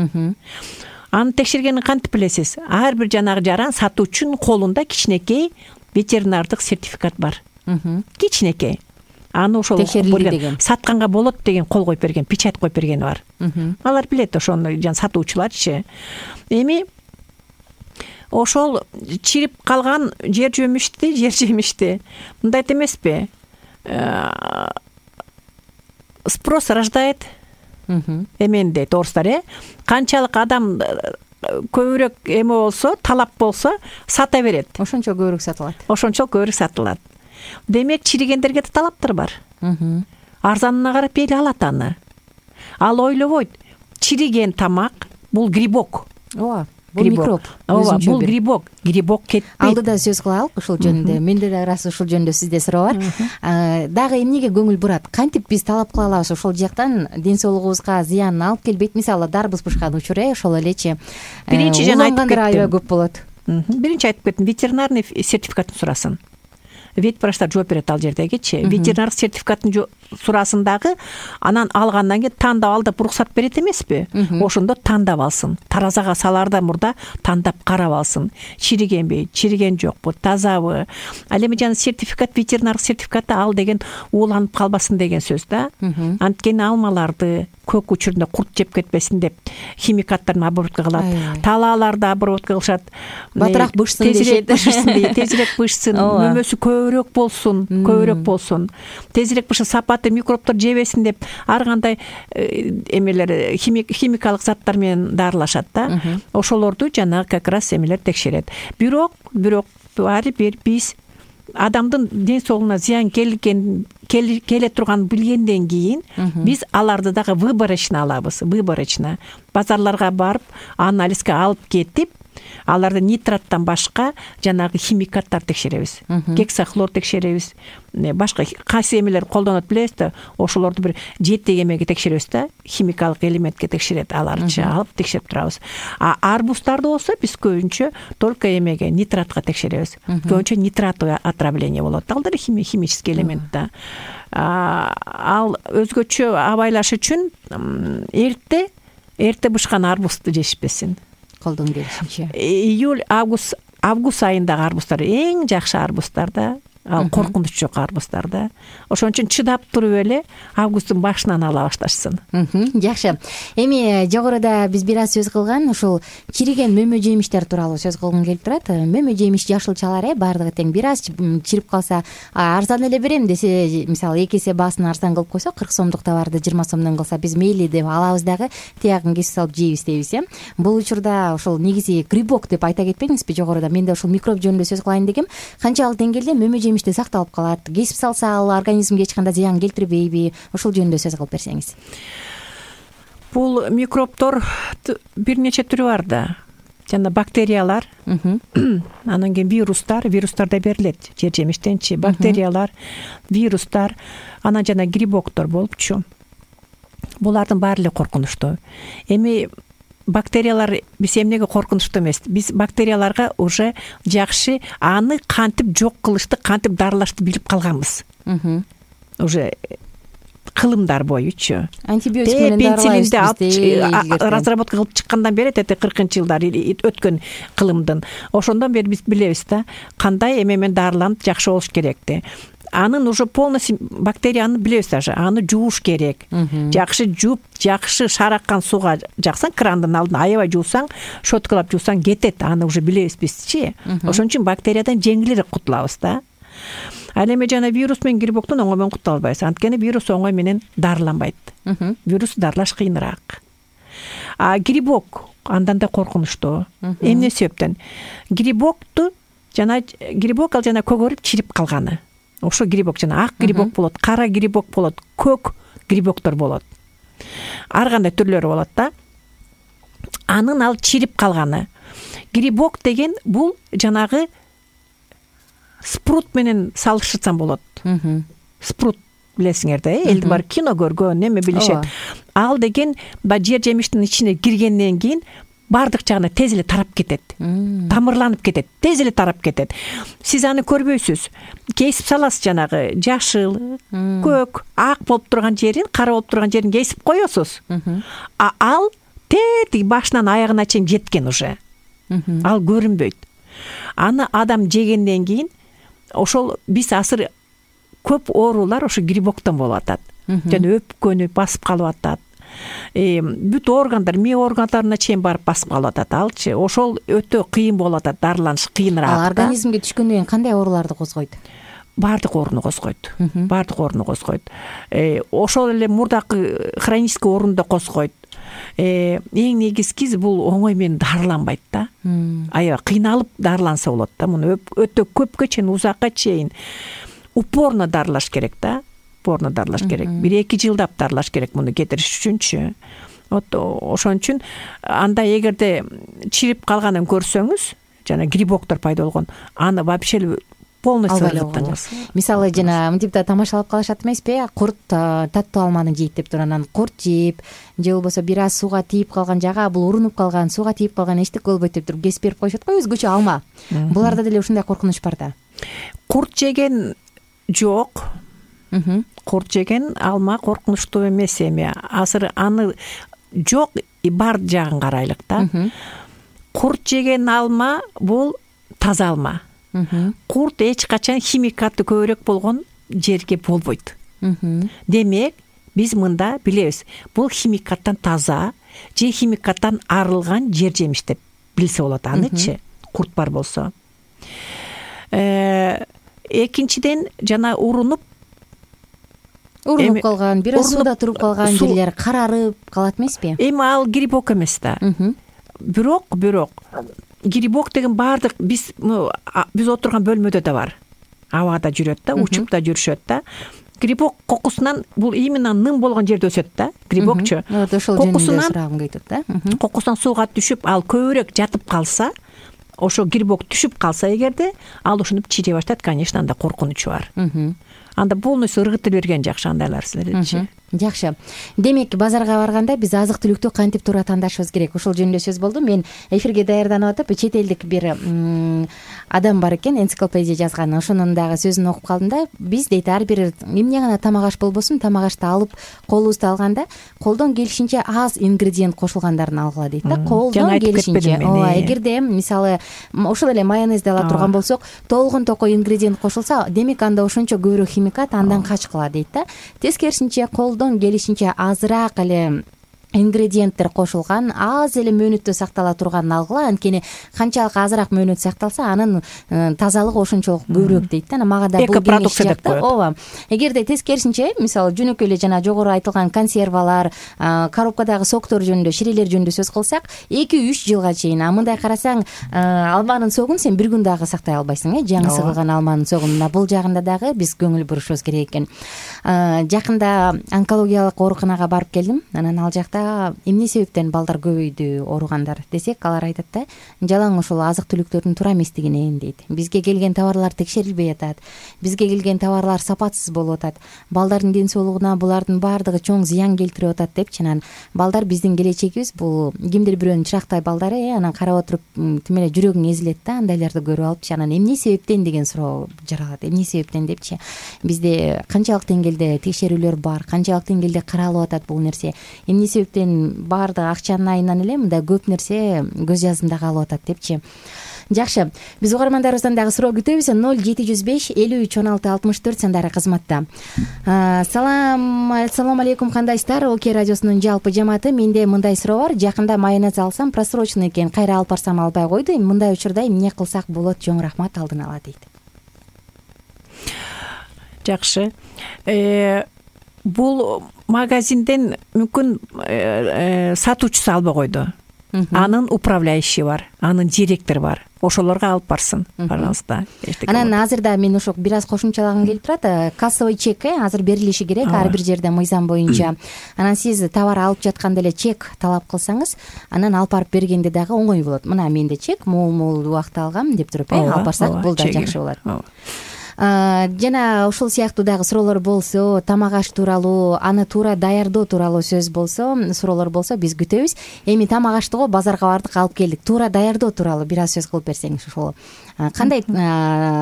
Аны текшергенин кантип билесиз? Ар бир жанагы жаран сатуучунун колунда кичинекей ветеринардык сертификат бар. Кичинекей. Аны ошол сатканга болот деген кол коюп берген, печать коюп бергени бар. Алар билет ошону, жан сатуучуларчы. Эми ошол чирип калган жер жемишти, жер жемишти мындайт эмеспи? Спрос рождает эмен дейт орустар, э? Канчалык адам көбүрөөк эме болсо, талап болсо, сата берет. Ошончо көбүрөөк сатылат. Ошончо көбүрөөк сатылат. Демек, чиригендерге да талаптар бар. Арзанына карап эл алат аны. Ал ойлобойт. чириген тамак бул грибок. ооба, бул микроб. ооба, бул грибок. Грибок кетпейт. Алдыда сөз кылалык ушул жөнүндө. Менде да ырасы ушул жөнүндө сизде суроо бар. Дагы эмнеге көңүл бурат? Кантип биз талап кыла алабыз ошол жактан ден соолугубузга зыянын алып келбейт? Мисалы дарбыз бышкан учур э ошол элечи. Биринчи жана айтып кеттим. Аябай көп болот. Биринчи айтып кеттим, ветеринарный сертификатын сурасын. Ветврачтар жооп берет ал жердегичи. Ветеринардык сертификатын сурасын дагы, анан алгандан кийин тандап алдап уруксат берет эмеспи? Ошондо тандап алсын. Таразага салаардан мурда тандап карап алсын. Чиригенби, чириген жокпу, тазабы. Ал эми жана сертификат, ветеринардык сертификаты ал деген ууланып калбасын деген сөз да. Анткени алмаларды көк учурунда курт жеп кетпесин деп химикаттарын обработка кылат. Талааларды обработка кылышат. Батыраак бышсын дешет. Тезирээк бышсын, мөмөсү көбүрөөк болсун, көбүрөөк болсун. Тезирээк бышсын, сапаты микробдор жебесин деп ар кандай эмелер химикалык заттар менен дарылашат да. Ошолорду жана как раз эмелер текшерет. Бирок, бирок баары бир биз адамдын ден соолугуна зыян келген келе турганын билгенден кийин биз аларды дагы выборочно алабыз. Выборочно базарларга барып, анализге алып кетип, аларды нитраттан башка жанагы химикаттар текшеребиз. Гексахлор текшеребиз. Башка кайсы эмелер колдонот билесиз да, ошолорду бир жети эмеге текшеребиз да, химикалык элементке текшерет, аларчы алып текшерип турабыз. А арбуздарды болсо биз көбүнчө только эмеге, нитратка текшеребиз. Көбүнчө нитратовое отравление болот. Ал да химический элемент да. Ал өзгөчө абайлаш үчүн эрте эрте бышкан арбузду жешпесин. Колдон келишинче. Июль, август, август айындагы арбуздар эң жакшы арбуздар да. Ал коркунуч жок арбуздар да. Ошон үчүн чыдап туруп эле августтун башынан ала башташсын. Жакшы. Эми жогоруда биз бир аз сөз кылган ушул чириген мөмө жемиштер тууралуу сөз кылгым келип турат. Мөмө жемиш жашылчалар э баардыгы тең. Бир аз чирип калса, арзан эле берем десе, мисалы эки эсе баасын арзан кылып койсо, кырк сомдук товарды жыйырма сомдон кылса, биз мейли деп алабыз дагы тиягын кесип салып жейбиз дейбиз э. Бул учурда ошол негизи грибок деп айта кетпедиңизби жогоруда? Мен да ушул микроб жөнүндө сөз кылайын дегем. Канчалык деңгээлде мөмө жемиш сакталып калат, кесип салса ал организмге эч кандай зыян келтирбейби? Ошол жөнүндө сөз кылып берсеңиз. Бул микробдор бир нече түрү бар да. Жана бактериялар, анан кийин вирустар, вирустар да берилет жер жемиштенчи, бактериялар, вирустар, анан жана грибоктор болупчу. Булардын баары эле коркунучтуу. Эми бактериялар биз эмнеге коркунучтуу эмес? Биз бактерияларга уже жакшы аны кантип жок кылышты, кантип дарылашты билип калганбыз. Уже кылымдар боючу. Антибиотик менен дарылайбыз. Разработка кылып чыккандан бери эти кыркынчы жылдар өткөн кылымдын. Ошондон бери биз билебиз да, кандай эме менен дарыланып жакшы болуш керекти. Анын уже полностью бактерияны билебиз даже, аны жууш керек. Жакшы жууп, жакшы шараккан сууга жаксаң, крандын алдына аябай жуусаң, щеткалап жуусаң кетет, аны уже билебиз бизчи. Ошон үчүн бактериядан жеңилирээк кутулабыз да. Ал эми жана вирус менен грибоктон оңой менен кутула албайбыз. Анткени вирус оңой менен дарыланбайт. Вирус дарылаш кыйыныраак. А грибок андан да коркунучтуу. Эмне себептен? Грибокту жана грибок ал жана көгөрүп чирип калганы. Ошо грибок жана ак грибок болот, кара грибок болот, көк грибоктор болот. Ар кандай түрлөрү болот да. Анын ал чирип калганы. Грибок деген бул жанагы спрут менен салыштырсам болот. Спрут билесиңер да, элди бар кино көргөн, эме билишет. Ал деген ба жер жемиштин ичине киргенден кийин бардык жагына тез эле тарап кетет. Тамырланып кетет, тез эле тарап кетет. Сиз аны көрбөйсүз. Кесип саласыз, жанагы жашыл, көк, ак болуп турган жерин, кара болуп турган жерин кесип коесуз. А ал тети башынан аягына чейин жеткен уже. Ал көрүнбөйт. Аны адам жегенден кийин ошол биз азыр көп оорулар ошо грибоктон болуп атат. Жана өпкөнү басып калып атат. Бүт органдар, мээ органдарына чейин барып басып калып атат. Алчы ошол өтө кыйын болуп атат, дарыланыш кыйыныраак. Ал организмге түшкөндөн кийин кандай ооруларды козгойт? Бардык ооруну козгойт. Бардык ооруну козгойт. Ошол эле мурдакы хронический ооруну да козгойт. Эң негизгиси бул оңой менен дарыланбайт да. Аябай кыйналып дарыланса болот да. Муну өтө көпкө чейин, узакка чейин упорно дарылаш керек да. Упорно дарылаш керек. бир эки жылдап дарылаш керек муну кетириш үчүнчү. вот ошон үчүн анда эгерде чирип калганын көрсөңүз, жана грибоктор пайда болгон, аны вообще полностью ыргыттыңыз. Мисалы жана мынтип да тамашалап калышат эмеспи? Курт таттуу алманы жейт деп туруп, анан курт жейип, же болбосо бир аз сууга тийип калган жага бул урунуп калган, сууга тийип калган эчтеке болбойт деп туруп кесип берип коюшат го, өзгөчө алма. Буларда деле ушундай коркунуч бар да. Курт жеген жок. Курт жеген алма коркунучтуу эмес эми. Азыр аны жок и бар жагын карайлык да. Курт жеген алма бул таза алма. Курт эч качан химикаты көбүрөөк болгон жерге болбойт. Демек, биз мында билебиз, бул химикаттан таза же химикаттан арылган жер жемиш деп билсе болот анычы, курт бар болсо. Экинчиден, жана урунуп урунуп калган, бир аз сууда туруп калган жерлер карарып калат эмеспи? Эми ал грибок эмес да. Бирок, бирок грибок деген баардык биз биз отурган бөлмөдө да бар. Абада жүрөт да, учуп да жүрүшөт да. Грибок кокусунан, бул именно ным болгон жерде өсөт да, грибокчу. Ошол жөнүндө сурагым кетет да. Кокусунан сууга түшүп, ал көбүрөөк жатып калса, ошо грибок түшүп калса эгерде, ал ушинтип чире баштайт, конечно, анда коркунучу бар. Анда полностью ыргытып берген жакшы андайлар силерчи. Жакшы. Демек, базарга барганда биз азык-түлүктү кантип туура тандашыбыз керек? Ошол жөнүндө сөз болду. Мен эфирге даярданып атып, чет элдик бир адам бар экен, энциклопедия жазган. Ошонун дагы сөзүн окуп калдым да. Биз дейт, ар бир эмне гана тамак аш болбосун, тамак ашты алып, колубузду алганда, колдон келишинче аз ингредиент кошулгандарын алгыла дейт да. Колдон келишинче. Ооба, эгерде мисалы ошол эле майонезди ала турган болсок, толгон токой ингредиент кошулса, демек анда ошончо көбүрөөк химикат андан качкыла дейт да. Тескерисинче, колдон келишинче азыраак эле ингредиенттер кошулган, аз эле мөөнөттө сактала турганын алгыла. Анткени канчалык азыраак мөөнөт сакталса, анын тазалыгы ошончолук көбүрөөк дейт да. Мага да бул кеңеш жакты. Ооба. Эгерде тескерисинче, мисалы жөнөкөй эле жана жогору айтылган консервалар, коробкадагы соктор жөнүндө, ширелер жөнүндө сөз кылсак, эки үч жылга чейин. А мындай карасаң, алманын согун сен бир күн дагы сактай албайсың, э, жаңы сыгылган алманын согун. Мына бул жагында дагы биз көңүл бурушубуз керек экен. Жакында онкологиялык ооруканага барып келдим. Анан ал жакта эмне себептен балдар көбөйдү, ооругандар десек, алар айтат да, жалаң ошол азык-түлүктөрдүн туура эместигинен дейт. Бизге келген товарлар текшерилбей атат. Бизге келген товарлар сапатсыз болуп атат. Балдардын ден соолугуна булардын баардыгы чоң зыян келтирип атат депчи. Анан балдар биздин келечегибиз, бул кимдир бирөөнүн чырактай балдары, э, анан карап отуруп тим эле жүрөгүң эзилет да, андайларды көрүп алыпчы. Анан эмне себептен деген суроо жаралат. Эмне себептен депчи. Бизде канчалык деңгээлде текшерүүлөр бар, канчалык деңгээлде каралып атат бул нерсе. Эмне себептен баардык акчанын айынан эле мындай көп нерсе көз жаздымда калып атат депчи. Жакшы, биз угармандарыбыздан дагы суроо күтөбүз. ноль жети жүз беш элүү үч он алты алтымыш төрт сандары кызматта. Салам, ассаламу алейкум, кандайсыздар? Окей радиосунун жалпы жамааты, менде мындай суроо бар. Жакында майонез алсам, просроченный экен, кайра алып барсам албай койду. Мындай учурда эмне кылсак болот? Чоң рахмат алдын ала дейт. Жакшы. Э бул магазинден мүмкүн сатуучусу албай койду. Анын управляющий бар, анын директору бар. Ошолорго алып барсын, пожалуйста. Анан азыр да мен ошо бир аз кошумчалагым келип турат. Кассовый чек азыр берилиши керек ар бир жерде мыйзам боюнча. Анан сиз товар алып жатканда эле чек талап кылсаңыз, анан алып барып бергенде дагы оңой болот. Мына менде чек мол-мол убакыт алгам деп туруп, алып барсак бул да жакшы болот. Жана ушул сыяктуу дагы суроолор болсо, тамак аш тууралуу, аны туура даярдоо тууралуу сөз болсо, суроолор болсо биз күтөбүз. Эми тамак аштыго базарга бардык, алып келдик. Туура даярдоо тууралуу бир аз сөз кылып берсеңиз ошол. Кандай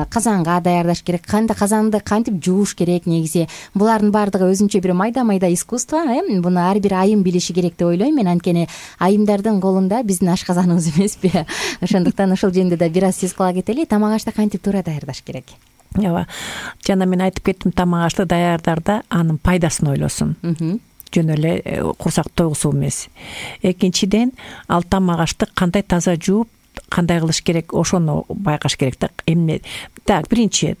казанга даярдаш керек, кандай казанды кантип жууш керек негизи. Булардын баардыгы өзүнчө бир майда-майда искусство, э? Буну ар бир айым билиши керек деп ойлойм мен. Анткени айымдардын колунда биздин ашказаныбыз эмеспи. Ошондуктан ошол жөнүндө да бир аз сөз кыла кетели. Тамак ашты кантип туура даярдаш керек? Ооба. Жана мен айтып кеттим, тамак ашты даярдарда анын пайдасын ойлосун. Жөн эле курсак тойгусу эмес. Экинчиден, ал тамак ашты кандай таза жууп, кандай кылыш керек, ошону байкаш керек да. Эмне? Так, биринчи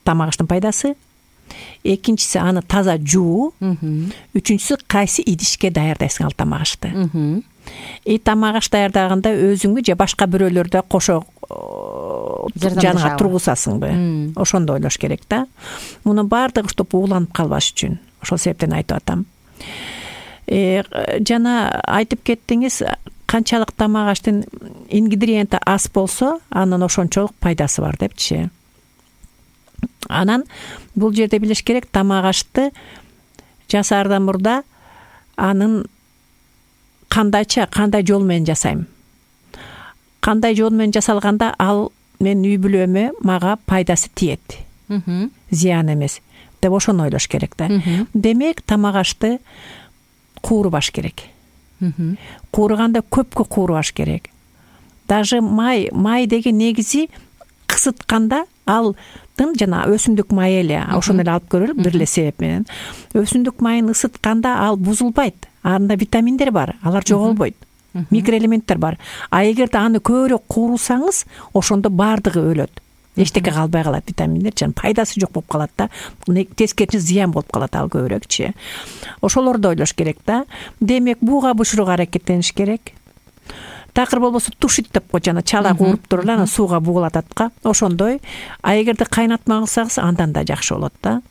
тамак аштын пайдасы, экинчиси аны таза жуу, үчүнчүсү кайсы идишке даярдайсың ал тамак ашты. И тамак аш даярдаганда өзүңбү же башка бирөөлөрдө кошо жанага тургузасыңбы? Ошондо ойлош керек да. Мунун баардыгы чтоб ууланып калбаш үчүн. Ошол себептен айтып атам. жана айтып кеттиңиз, канчалык тамак аштын ингредиенти аз болсо анын ошончолук пайдасы бар депчи. Анан бул жерде билиш керек, тамак ашты жасаардан мурда анын кандайча, кандай жол менен жасайм, кандай жол менен жасалганда ал менин үй бүлөмө мага пайдасы тиет, зыян эмес деп ошону ойлош керек да. Демек тамак ашты куурубаш керек. Куурганда көпкө куурубаш керек. Даже май, май деген негизи кысытканда алдын жана өсүмдүк май эле, ошону эле алып көрөлүк бир эле себеп менен. Өсүмдүк майын ысытканда ал бузулбайт. Анда витаминдер бар, алар жоголбойт. Микроэлементтер бар. А эгерде аны көбүрөөк куурусаңыз, ошондо баардыгы өлөт. Эчтеке калбай калат, витаминдер жана пайдасы жок болуп калат да. Тескерисинче зыян болуп калат ал көбүрөөкчү. Ошолорду ойлош керек да. Демек бууга бышырууга аракеттениш керек. Такыр болбосо тушит деп кой, жана чала кууруп туруп анан сууга бугулататка. Ошондой. А эгерде кайнатма кылсаңыз, андан да жакшы болот да.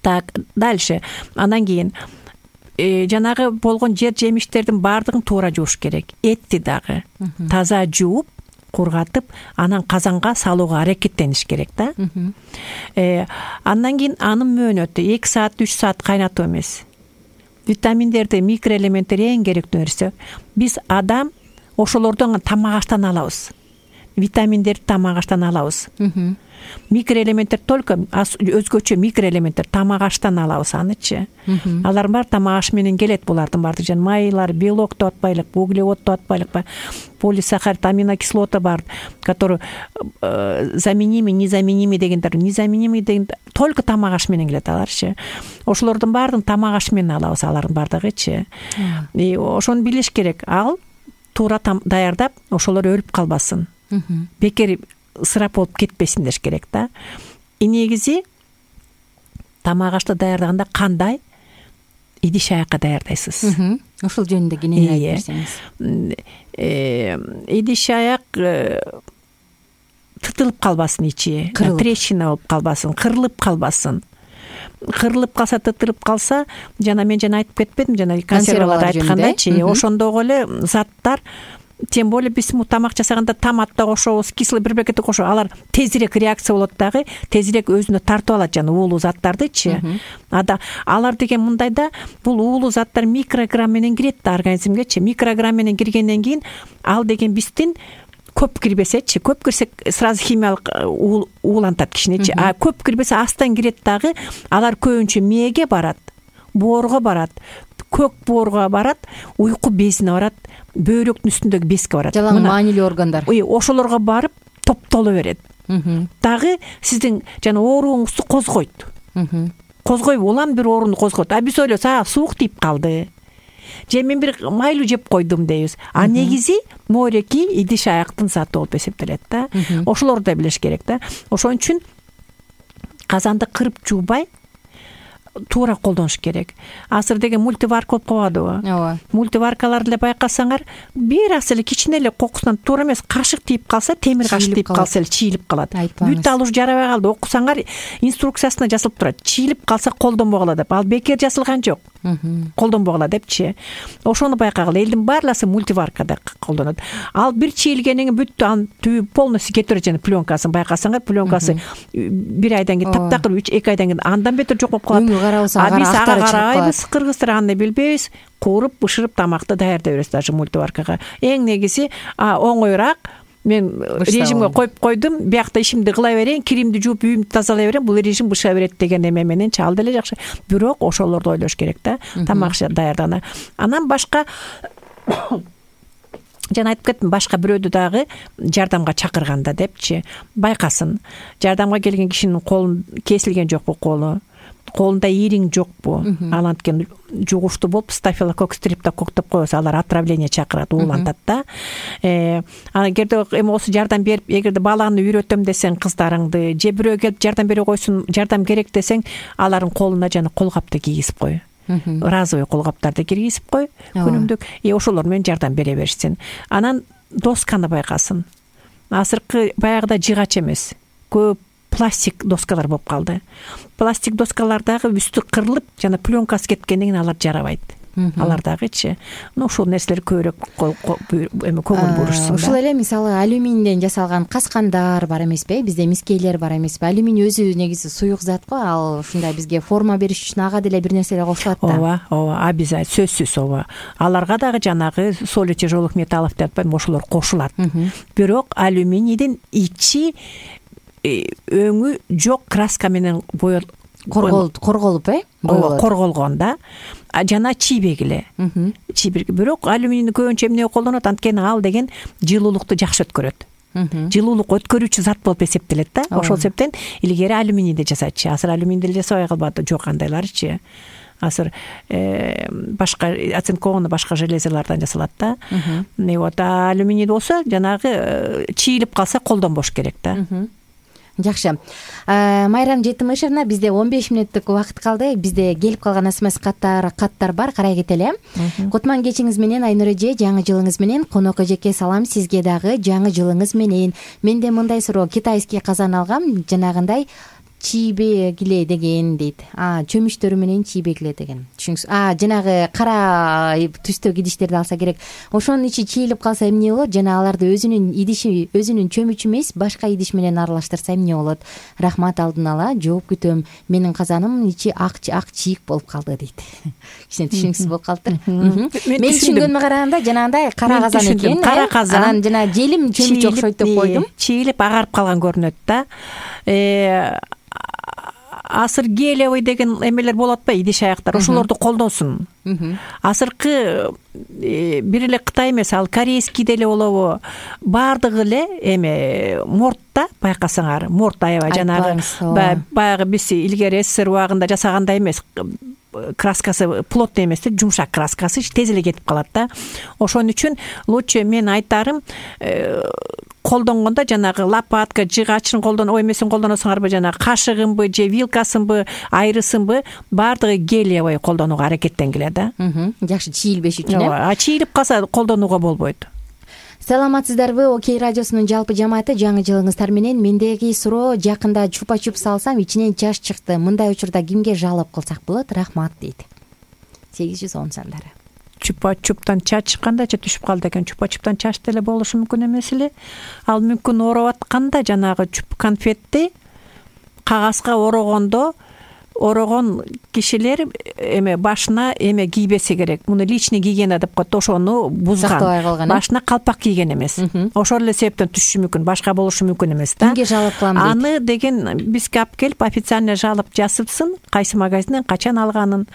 Так, дальше. Андан кийин жанагы болгон жер жемиштердин баардыгын туура жууш керек. Этти дагы таза жууп, кургатып, анан казанга салууга аракеттениш керек да. Э, андан кийин анын мөөнөтү эки саат, үч саат кайнатуу эмес. Витаминдерди, микроэлементтер эң керектүү нерсе. Биз адам ошолордон тамак аштан алабыз. Витаминдерди тамак аштан алабыз. Микроэлементтер только өзгөчө микроэлементтер тамак аштан алабыз анычы. Алар бар тамак аш менен келет, булардын баардыгы жана майлар, белок деп атпайлык, углевод деп атпайлык, полисахарид, аминокислота бар, которые заменимы, незаменимый дегендер, незаменимый деген только тамак аш менен келет аларчы. Ошолордун баардыгын тамак аш менен алабыз, алардын баардыгычы. И ошону билиш керек. Ал туура даярдап, ошолор өлүп калбасын. Бекер ысырап болуп кетпесин деш керек да. И негизи тамак ашты даярдаганда кандай идиш аякка даярдайсыз? Ошол жөнүндө кенен айтып берсеңиз. Идиш аяк тытылып калбасын, ичи трещина болуп калбасын, кырылып калбасын. Кырылып калса, тытылып калса, жана мен жана айтып кетпедим, жана консервалар айткандайчы, ошондогу эле заттар, тем более биз тамак жасаганда томат да кошобуз, кислый бирбекет кошобуз, алар тезирээк реакция болот дагы, тезирээк өзүнө тартып алат жана уулуу заттардычы. Ада алар деген мындай да, бул уулуу заттар микрограмм менен кирет да организмгечи. Микрограмм менен киргенден кийин ал деген биздин көп кирбесечи, көп кирсе сразу химиялык уулантат кишиничи. А көп кирбесе астан кирет дагы, алар көбүнчө мээге барат, боорго барат, көк боорго барат, уйку безине барат, бөйрөктүн үстүндөгү безге барат. Жалаң маанилүү органдар. Ошолорго барып топтоло берет. Дагы сиздин жана ооруңузду козгойт. Козгой улам бир оорууну козгойт. А биз ойлойбуз, а суук тип калды, же мен бир майлуу жеп койдум дейбиз. А негизи мореки идиш аяктын заты болуп эсептелет да. Ошолорду да билиш керек да. Ошон үчүн казанды кырып жуубай туура колдонуш керек. Азыр деген мультиварка болуп калбадыбы? Ооба. Мультиваркаларды эле байкасаңар, бир аз эле кичине эле кокусунан туура эмес, кашык тийип калса, темир кашык тийип калса эле чийилип калат. Бүт ал уж жарабай калды. Окусаңар, инструкциясында жазылып турат. Чийилип калса колдонбогула деп. Ал бекер жазылган жок. Колдонбогула депчи. Ошону байкагыла. Элдин баарласы мультиваркада колдонот. Ал бир чийилгенден кийин бүт аны түбү полностью кетип жана пленкасын байкасаңар, пленкасы бир айдан кийин таптакыр, үч эки айдан кийин андан бетер жок болуп калат. А биз ага карабайбыз, кыргыздар аны билбейбиз, кууруп, бышырып тамакты даярдай беребиз даже мультиваркага. Эң негизи оңоюраак. Мен режимге коюп койдум, биякта ишимди кыла берейин, киримди жууп, үйүмдү тазалай берейин, бул режим быша берет деген эме менен чал деле жакшы. Бирок ошолорду ойлош керек да, тамак даярдаганда. Анан башка жана айтып кеттим, башка бирөөдү дагы жардамга чакырганда депчи, байкасын. Жардамга келген кишинин колун кесилген жокпу колу? Колунда ириң жокпу? Ал анткен жугуштуу болуп, стафилококк стрептококк деп коебуз, алар отравление чакырат, уулантат да. Э, эгерде эми осы жардам берип, эгерде баланы үйрөтөм десең кыздарыңды, же бирөө келип жардам бере койсун, жардам керек десең, алардын колуна жана колгапты кийгизип кой. Разовый колгаптарды киргизип кой, күнүмдүк. И ошолор менен жардам бере берсин. Анан досканы байкасын. Азыркы баягыда жыгач эмес, көп пластик доскалар болуп калды. Пластик доскалардагы үстү кырылып, жана пленкасы кеткенден кийин алар жарабайт. алар дагычы ну ушул нерселер көбүрөөк эме көңүл бурушсун. Ушул эле мисалы алюминден жасалган каскандар бар эмеспи, бизде мискейлер бар эмеспи. Алюминий өзү негизи суюк зат го, ал ушундай бизге форма бериш үчүн ага деле бир нерселер кошулат да. ооба ооба обязательно сөзсүз ооба. Аларга дагы жанагы соли тяжелых металлов деп атпайм, ошолор кошулат. Бирок алюминийдин ичи өңү жок краска менен боёл корголуп э ооба корголгон да. Жана чийбек эле. Чийбек. Бирок алюминийни көбүнчө эмне колдонот, анткени ал деген жылуулукту жакшы өткөрөт. Жылуулук өткөрүүчү зат болуп эсептелет да. Ошол себептен илгери алюминийди жасачы. Азыр алюминийди деле жасабай калбады, жок андайларычы. Азыр башка оцинкованный башка железалардан жасалат да. И вот алюминий болсо жанагы чийилип калса колдонбош керек да. Жакшы. Майрам Жетимишевна, бизде он беш мүнөттүк убакыт калды. Бизде келип калган смс каттар каттар бар, карай кетели. Кутман кечиңиз менен Айнур эже, жаңы жылыңыз менен. Конок эжеке салам, сизге дагы жаңы жылыңыз менен. Менде мындай суроо, китайский казан алгам, жанагындай чийбегиле деген дейт. А, чөмүчтөрү менен чийбегиле деген. Түшүнүңүз. А, жанагы кара түстөгү идиштерди алса керек. Ошонун ичи чийилип калса эмне болот? Жана аларды өзүнүн идиши, өзүнүн чөмүчү эмес, башка идиш менен аралаштырса эмне болот? Рахмат, алдын ала жооп күтөм. Менин казаным ичи ак ак чийик болуп калды дейт. Кичине түшүнүксүз болуп калыптыр. Мен түшүнгөнүмө караганда жанагындай кара казан экен. Кара казан. Анан жана желим чөмүч окшойт деп койдум. Чийилип агарып калган көрүнөт да. Э Асыр гелиевый деген эмелер болот ба, идиш аяктар, ошолорду колдонсун. Азыркы бир эле Кытай эмес, ал корейский деле болобу, баардыгы эле эме мортта, байкасаңар, морт аябай жанагы баягы биз илгери СССР убагында жасагандай эмес, краскасы плотный эмес, жумшак краскасы тез эле кетип калат да. Ошон үчүн лучше мен айтарым, колдонгондо жанагы лопатка, жыгачын колдон, ой эмесин колдоносуңарбы, жанагы кашыгынбы же вилкасынбы, айрысынбы, баардыгы гелиевый колдонууга аракеттенгиле да. Жакшы, чийилбеш үчүн э. А чийилип калса колдонууга болбойт. Саламатсыздарбы, Окей радиосунун жалпы жамааты, жаңы жылыңыздар менен. Мендеги суроо, жакында чупа-чуп салсам, ичинен чач чыкты. Мындай учурда кимге жалоп кылсак болот? Рахмат дейт. сегиз жүз он сандары. Чупа-чуптан чач чыккандачы түшүп калды экен. Чупа-чуптан чач деле болушу мүмкүн эмес эле. Ал мүмкүн ороп атканда жанагы чуп конфетти кагазга орогондо орогон кишилер эме башына эме кийбеси керек. Муну личный гигиена деп коет, ошону бузган. Башына калпак кийген эмес. Ошол эле себептен түшүшү мүмкүн, башка болушу мүмкүн эмес да. Кимге жалоп кылам дейт? Аны деген бизге алып келип официально жалоп жазыпсын, кайсы магазинден качан алганын,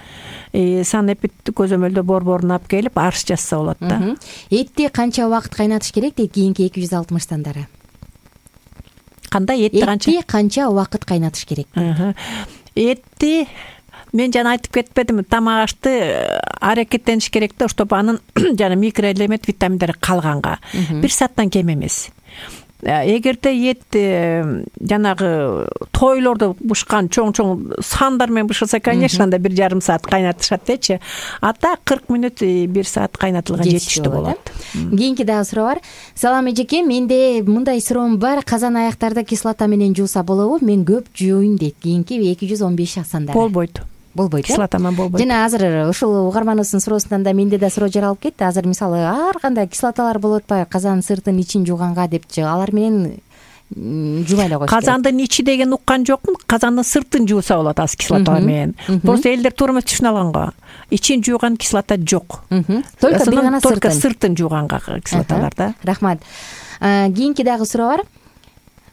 санэпид көзөмөлдөө борборун алып келип арыз жазса болот да. Этти канча убакыт кайнатыш керек дейт кийинки эки жүз алтымыш сандары. Кандай этти канча? Этти канча убакыт кайнатыш керек? Этти мен жана айтып кетпедимби, тамак ашты аракеттениш керек да, чтобы анын жана микроэлемент витаминдери калганга. Бир сааттан кем эмес. Эгерде эт жанагы тойлорду бышкан чоң-чоң сандар менен бышылса, конечно, анда бир жарым саат кайнатышат дечи. Ата кырк мүнөт, бир саат кайнатылган жетиштүү болот. Кийинки дагы суроо бар. Салам эжеке, менде мындай суроом бар. Казан аяктарды кислота менен жууса болобу? Мен көп жууйм дейт. Кийинки эки жүз он беш сандары. Болбойт. Болбойт. Кислота менен болбойт. Жана азыр ушул угарманыбыздын суроосунан да менде да суроо жаралып кетти. Азыр мисалы ар кандай кислоталар болуп атпайбы? Казан сыртын ичин жууганга депчи. Алар менен жубай эле коюш керек. Казандын ичи деген уккан жокмун. Казандын сыртын жууса болот аз кислота менен. Просто элдер туура эмес түшүнө алган го. Ичин жууган кислота жок. Только бир гана сыртын. Только сыртын жууганга кислоталар да. Рахмат. Кийинки дагы суроо бар.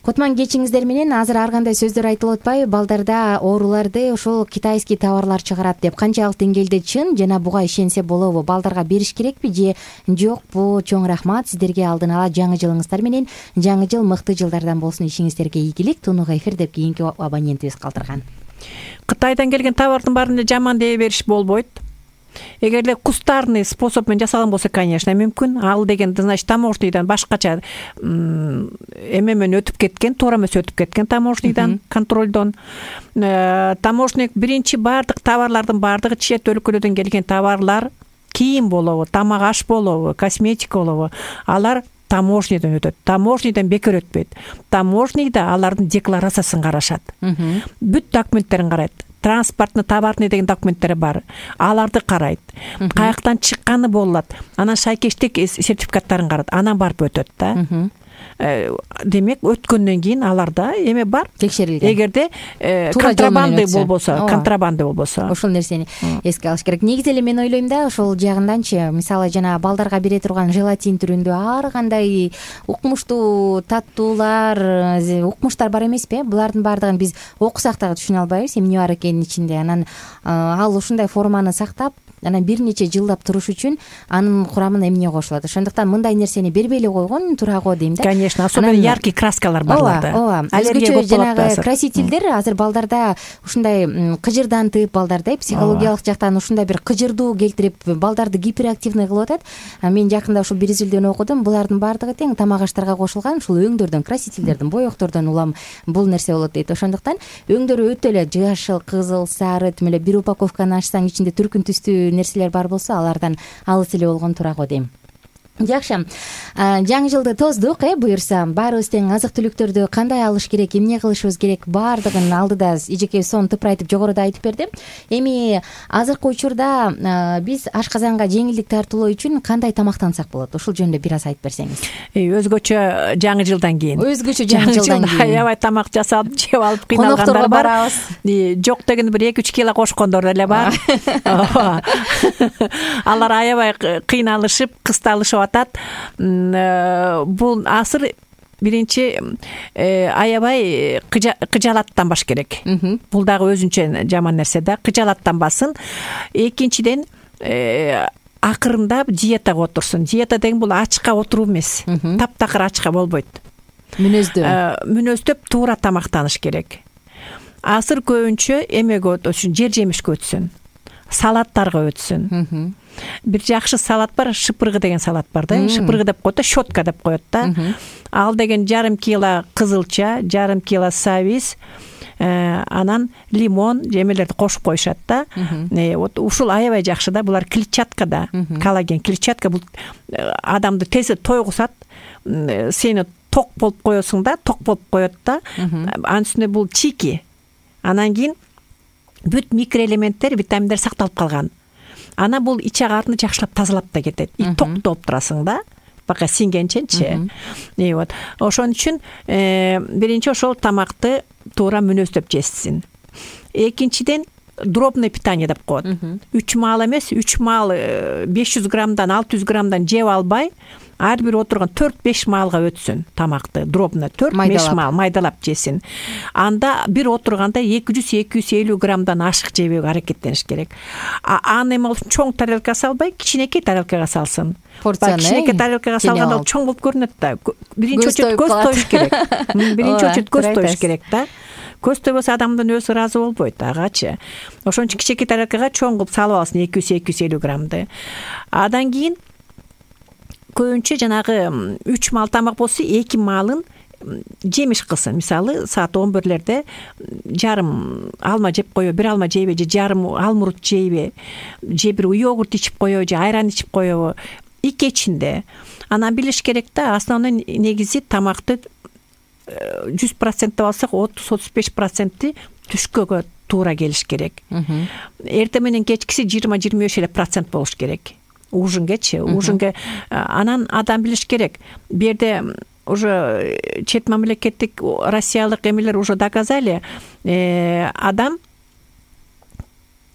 Кутман кечиңиздер менен. Азыр ар кандай сөздөр айтылып атпайбы? Балдарда ооруларды ошол китайский товарлар чыгарат деп. Канчалык деңгээлде чын жана буга ишенсе болобу? Балдарга бериш керекпи же жокпу? Чоң рахмат сиздерге, алдын ала жаңы жылыңыздар менен. Жаңы жыл мыкты жылдардан болсун, ишиңиздерге ийгилик. Тунук эфир деп кийинки абонентибиз калтырган. Кытайдан келген товардын баарын эле жаман дей бериш болбойт. Эгерде кустарный способ менен жасалган болсо, конечно, мүмкүн. Ал деген, значит, таможнийдан башкача эме менен өтүп кеткен, туура эмес өтүп кеткен таможнийдан, контролдон. Таможник биринчи баардык товарлардын баардыгы чет өлкөлөрдөн келген товарлар, кийим болобу, тамак аш болобу, косметика болобу, алар таможнийден өтөт. Таможнийден бекер өтпөйт. Таможнийда алардын декларациясын карашат. Бүт документтерин карайт. транспортный товарный деген документтери бар, аларды карайт, каяктан чыкканы болот, анан шайкештик сертификаттарын карайт, анан барып өтөт да. Демек өткөндөн кийин аларда эме бар, текшерилген. Эгерде контрабанда болбосо, контрабанда болбосо ошол нерсени эске алыш керек. Негизи эле мен ойлойм да, ошол жагынданчы, мисалы жана балдарга бере турган желатин түрүндө ар кандай укмуштуу таттуулар, укмуштар бар эмеспи? Булардын баардыгын биз окусак дагы түшүнө албайбыз, эмне бар экенин ичинде. Анан ал ушундай форманы сактап, анан бир нече жылдап туруш үчүн анын курамына эмне кошулат. Ошондуктан мындай нерсени бербей эле койгон туура го дейм да. Конечно, особенно яркий краскалар барларда. Ооба, өзгөчө жанагы красительдер азыр балдарда ушундай кыжырдантып, балдарда психологиялык жактан ушундай бир кыжырдуу келтирип, балдарды гиперактивный кылып атат. Мен жакында ушул бир изилдөөнү окудум. Булардын баардыгы тең тамак аштарга кошулган ушул өңдөрдөн, красительдердин, боектордон улам бул нерсе болот дейт. Ошондуктан өңдөрү өтө эле жашыл, кызыл, сары, тим эле бир упаковканы ачсаң ичинде түркүн түстүү нерселер бар болсо, алардан алыс эле болгон туура го дейм. Жакшы. Жаңы жылды тоздук, э, буюрса. Баарыбыз тең азык-түлүктөрдү кандай алыш керек, эмне кылышыбыз керек, баардыгын алдыда эжеке сонун тыпырайтып жогоруда айтып берди. Эми азыркы учурда биз ашказанга жеңилдик тартуулоо үчүн кандай тамактансак болот? Ушул жөнүндө бир аз айтып берсеңиз. Өзгөчө жаңы жылдан кийин. Өзгөчө жаңы жылдан кийин. Аябай тамак жасап, жеп алып кыйналгандар бар. Жок деген бир эки үч кило кошкондор деле бар. Алар аябай кыйналышып, кысталышып атат. Бул асыр биринчи аябай кыжалаттанбаш керек. Бул дагы өзүнчө жаман нерсе да, кыжалаттанбасын. Экинчиден акырындап диетага отурсун. Диета деген бул ачка отуруу эмес. Таптакыр ачка болбойт. Мүнөздөө. Мүнөздөп туура тамактаныш керек. Асыр көбүнчө эмеге өтсүн, жер жемишке өтсүн. Салаттарга өтсүн. Бир жакшы салат бар, шыпыргы деген салат бар да. Шыпыргы деп коет да, щетка деп коет да. Ал деген жарым кило кызылча, жарым кило сабиз, анан лимон жемелерди кошуп коюшат да. Вот ушул аябай жакшы да. Булар клетчатка да, коллаген. Клетчатка бул адамды тез тойгузат. Сени ток болуп коесуң да, ток болуп коет да. Анын үстүнө бул чики. Анан кийин бүт микроэлементтер, витаминдер сакталып калган. Ана бул ич агаарны жакшылап тазалап да кетет. И токтоп алып турасың да, бака сиңгенченчи. И вот ошон үчүн биринчи ошол тамакты туура мүнөздөп жесин. Экинчиден дробное питание деп коет. үч маал эмес, үч маал беш жүз граммдан алты жүз граммдан жеп албай, ар бир отурган төрт беш маалга өтсүн тамакты. Дробно төрт беш маал майдалап жесин. Анда бир отурганда эки жүз эки жүз элүү граммдан ашык жебөөгө аракеттениш керек. Аны эме чоң тарелкага салбай, кичинекей тарелкага салсын. Порцияны кичинекей тарелкага салганда чоң болуп көрүнөт да. Биринчи очередь көз тоюш керек. Биринчи очередь көз тоюш керек да. Көз тойбосо адамдын өзү ыраазы болбойт агачы. Ошон үчүн кичинекей тарелкага чоң кылып салып алсын эки жүз эки жүз элүү граммды. Адан кийин көбүнчө жанагы үч маал тамак болсо эки маалын жемиш кылсын. Мисалы саат он бирлерде жарым алма жеп коебу, бир алма жейби, же жарым алмурут жейби, же бир йогурт ичип коебу, же айран ичип коебу. И кечинде. Анан билиш керек да, основной негизи тамакты жүз процент деп алсак, отуз отуз беш проценти түшкөгө туура келиш керек. Эртең менен кечкиси жыйырма жыйырма беш эле процент болуш керек. Ужингечи, ужинге анан адам билиш керек. Бу жерде уже чет мамлекеттик россиялык эмелер уже доказали, адам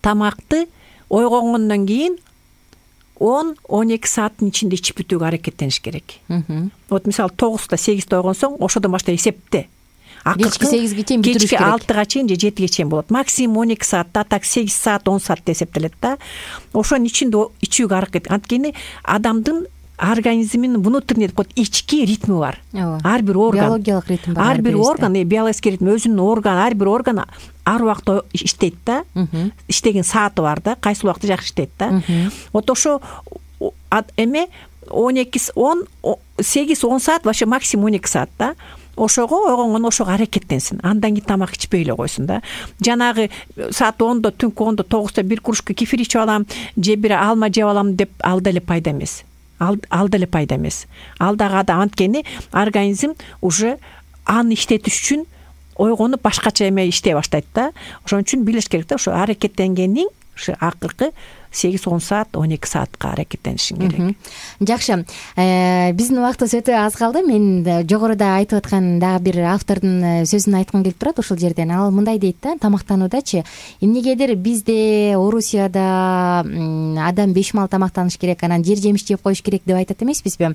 тамакты ойгонгондон кийин он он эки сааттын ичинде ичип бүтүүгө аракеттениш керек. Вот мисалы тогузда сегизде ойгонсоң, ошодон баштап эсепте. Кечки сегизге чейин бүтүрүш керек. Кечки алтыга чейин же жетиге чейин болот. Максимум он эки саатта, так сегиз саат, он саат эсептелет да. Ошонун ичинде ичүүгө аракет. Анткени адамдын организминин внутренний деп коет ички ритми бар. Ар бир орган, биологиялык ритм бар. Ар бир орган, биологический ритм, өзүнүн органы, ар бир орган ар убакта иштейт да. Иштеген сааты бар да, кайсы убакта жакшы иштейт да. Вот ошо эме он эки он сегиз он саат, вообще максимум он эки саат да. Ошого ойгонгон ошого аракеттенсин. Андан кийин тамак ичпей эле койсун да. Жанагы саат ондо, түнкү ондо, тогузда бир кружка кефир ичип алам, же бир алма жеп алам деп ал деле пайда эмес. Ал ал деле пайда эмес. Ал дагы анткени организм уже аны иштетиш үчүн ойгонуп башкача эме иштей баштайт да. Ошон үчүн билиш керек да, ошо аракеттенгендин ушу акыркы сегиз он саат он эки саатка аракеттенишиң керек. Жакшы, биздин убактыбыз өтө аз калды. Мен жогоруда айтып аткан дагы бир автордун сөзүн айткым келип турат ушул жерден. Ал мындай дейт да, тамактануудачы эмнегедир бизде Орусияда адам беш маал тамактаныш керек, анан жер жемиш жеп коюш керек деп айтат эмеспизби?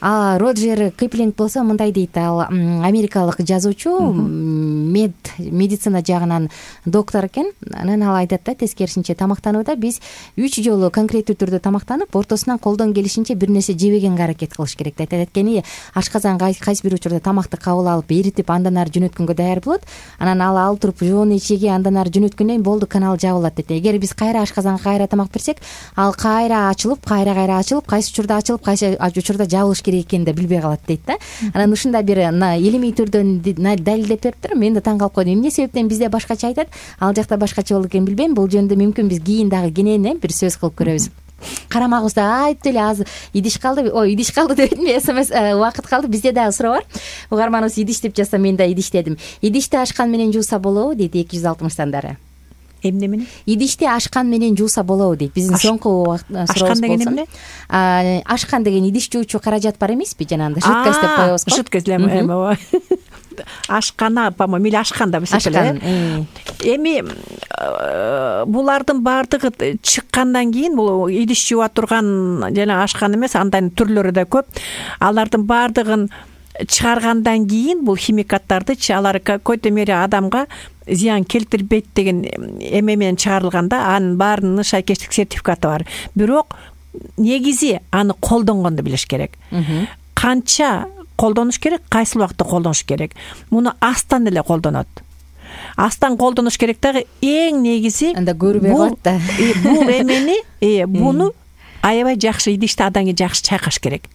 А Роджер Киплинг болсо мындай дейт. Ал америкалык жазуучу, мед медицина жагынан доктор экен. Анан ал айтат да, тескерисинче тамактанууда биз үч жолу конкреттүү түрдө тамактанып, ортосунан колдон келишинче бир нерсе жебегенге аракет кылыш керек деп айтат. Эткени ашказан кайсы бир учурда тамакты кабыл алып, эритип, андан ары жөнөткөнгө даяр болот. Анан ал ал туруп жоон ичеги, андан ары жөнөткөндөн кийин болду, канал жабылат дейт. Эгер биз кайра ашказанга кайра тамак берсек, ал кайра ачылып, кайра кайра ачылып, кайсы учурда ачылып, кайсы учурда жабылыш керек экенин да билбей калат дейт да. Анан ушундай бир илимий түрдөн далилдеп бериптир. Мен да таң калып койдум. Эмне себептен бизде башкача айтат, ал жакта башкача болду экен билбейм. Бул жөнүндө мүмкүн биз кийин дагы кенен бир сөз кылып көрөбүз. Карамагыбызда айтып эле аз идиш калды. Ой, идиш калды дебедим, смс убакыт калды. Бизде дагы суроо бар. Угарманыбыз идиш деп жазса, мен да идиштедим. Идишти ашкан менен жууса болобу дейт эки жүз алтымыштан дары. Эмне менен? Идишти ашкан менен жууса болобу дейт. Биздин соңку сурообуз. Ашкан деген эмне? Ашкан деген идиш жуучу каражат бар эмеспи? Жанагындай жидкость деп коебуз го. Жидкость эме. Ашкана, по-моему, или ашкан да ашкан. Эми булардын баардыгы чыккандан кийин, бул идиш жууа турган жана ашкан эмес, андан түрлөрү да көп. Алардын баардыгын чыгаргандан кийин бул химикаттарды алар какой-то мере адамга зыян келтирбейт деген эме менен чыгарылганда, анын баарынын шайкештик сертификаты бар. Бирок негизи аны колдонгонду билиш керек. Канча колдонуш керек, кайсы убакытта колдонуш керек. Муну астан эле колдонот. Астан колдонуш керек дагы эң негизи анда көрбөй калат да. Бул эмени, буну аябай жакшы идишти адан кийин жакшы чайкаш керек.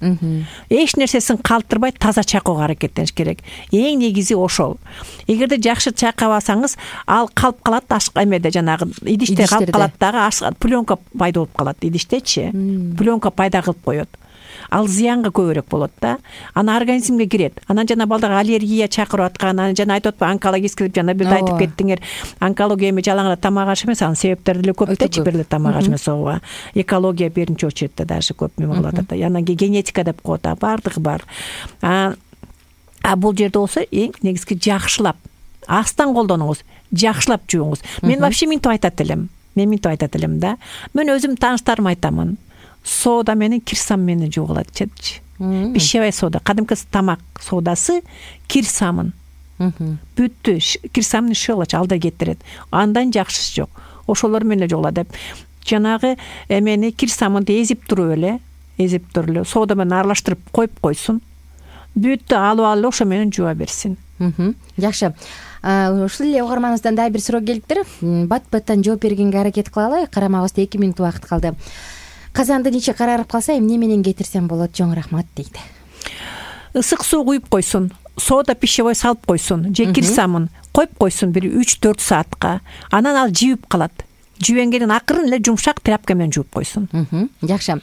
Эч нерсесин калтырбай таза чайкоого аракеттениш керек. Эң негизи ошол. Эгерде жакшы чайкабасаңыз, ал калып калат, эмеде жанагы идиште калып калат дагы, пленка пайда болуп калат идиштечи. Пленка пайда кылып коет. Ал зыянга көбүрөөк болот да. Аны организмге кирет. Анан жана балдарга аллергия чакырып аткан, анан жана айтып атпайбы, онкологический жана бир айтып кеттиңер. Онкология эми жалаң эле тамак аш эмес, анын себептери деле көп да, бир эле тамак аш эмес ооба. Экология биринчи очередте даже көп эме болуп атат да. Анан кийин генетика деп коет, баардыгы бар. А бул жерде болсо эң негизги жакшылап, астан колдонуңуз, жакшылап жууңуз. Мен вообще минтип айтат элем. Мен минтип айтат элем да. Мен өзүм тааныштарыма айтамын. Сода менен кирсам менен жуугалат чечи. Пищевая сода, кадимки тамак содасы кирсамын. Бүттү, кирсамын шылыч алда кетирет. Андан жакшысы жок. Ошолор менен жуугалат деп. Жанагы эмени кирсамынды эзип туруп эле, эзип туруп эле сода менен аралаштырып коюп койсун. Бүттү алып алып ошо менен жууа берсин. Жакшы. Ушул эле угарманыбыздан дагы бир суроо келиптир. Бат-баттан жооп бергенге аракет кылалы. Карамагыбызда эки мүнөт убакыт калды. Казандын ичи карарып калса, эмне менен кетирсем болот? Жоң рахмат дейт. Ысык суу куюп койсун, сода пищевой салып койсун, же кирсамын коюп койсун бир үч төрт саатка. Анан ал жибип калат. Жибенгенин акырын эле жумшак тряпка менен жууп койсун. Жакшы.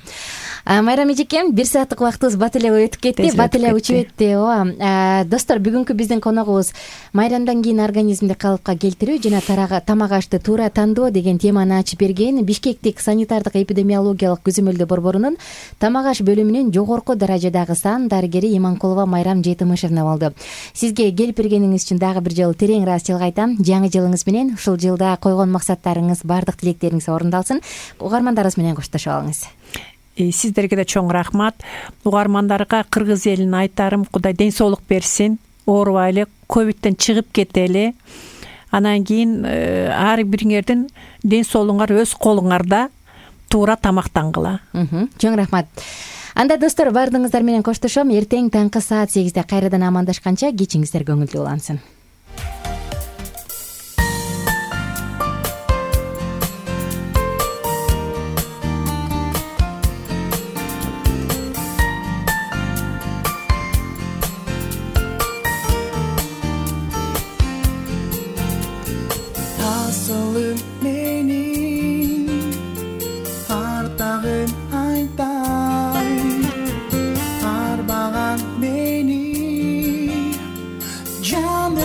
Майрам эжекем, бир сааттык убактыбыз бат эле өтүп кетти, бат эле учуп кетти. Ооба. Достор, бүгүнкү биздин коногубуз майрамдан кийин организмди калыпка келтирүү жана тамак ашты туура тандоо деген теманы ачып берген Бишкектик санитардык эпидемиологиялык көзөмөлдөө борборунун тамак аш бөлүмүнүн жогорку даражадагы сан дарыгери Иманкулова Майрам Жетимишевна болду. Сизге келип бергениңиз үчүн дагы бир жолу терең ыраазычылык айтам. Жаңы жылыңыз менен ушул жылда койгон максаттарыңыз, бардык тилектериңиз орундалсын. Угармандарыбыз менен коштошуп алыңыз. Сиздерге да чоң рахмат. Угармандарга кыргыз элине айтарым, Кудай ден соолук берсин, оорубайлы, ковидтен чыгып кетели. Анан кийин ар бириңердин ден соолугуңар өз колуңарда, туура тамактангыла. Чоң рахмат. Анда достор, баардыгыңыздар менен коштошом. Эртең таңкы саат сегизде кайрадан амандашканча кечиңиздер көңүлдүү улансын. Jam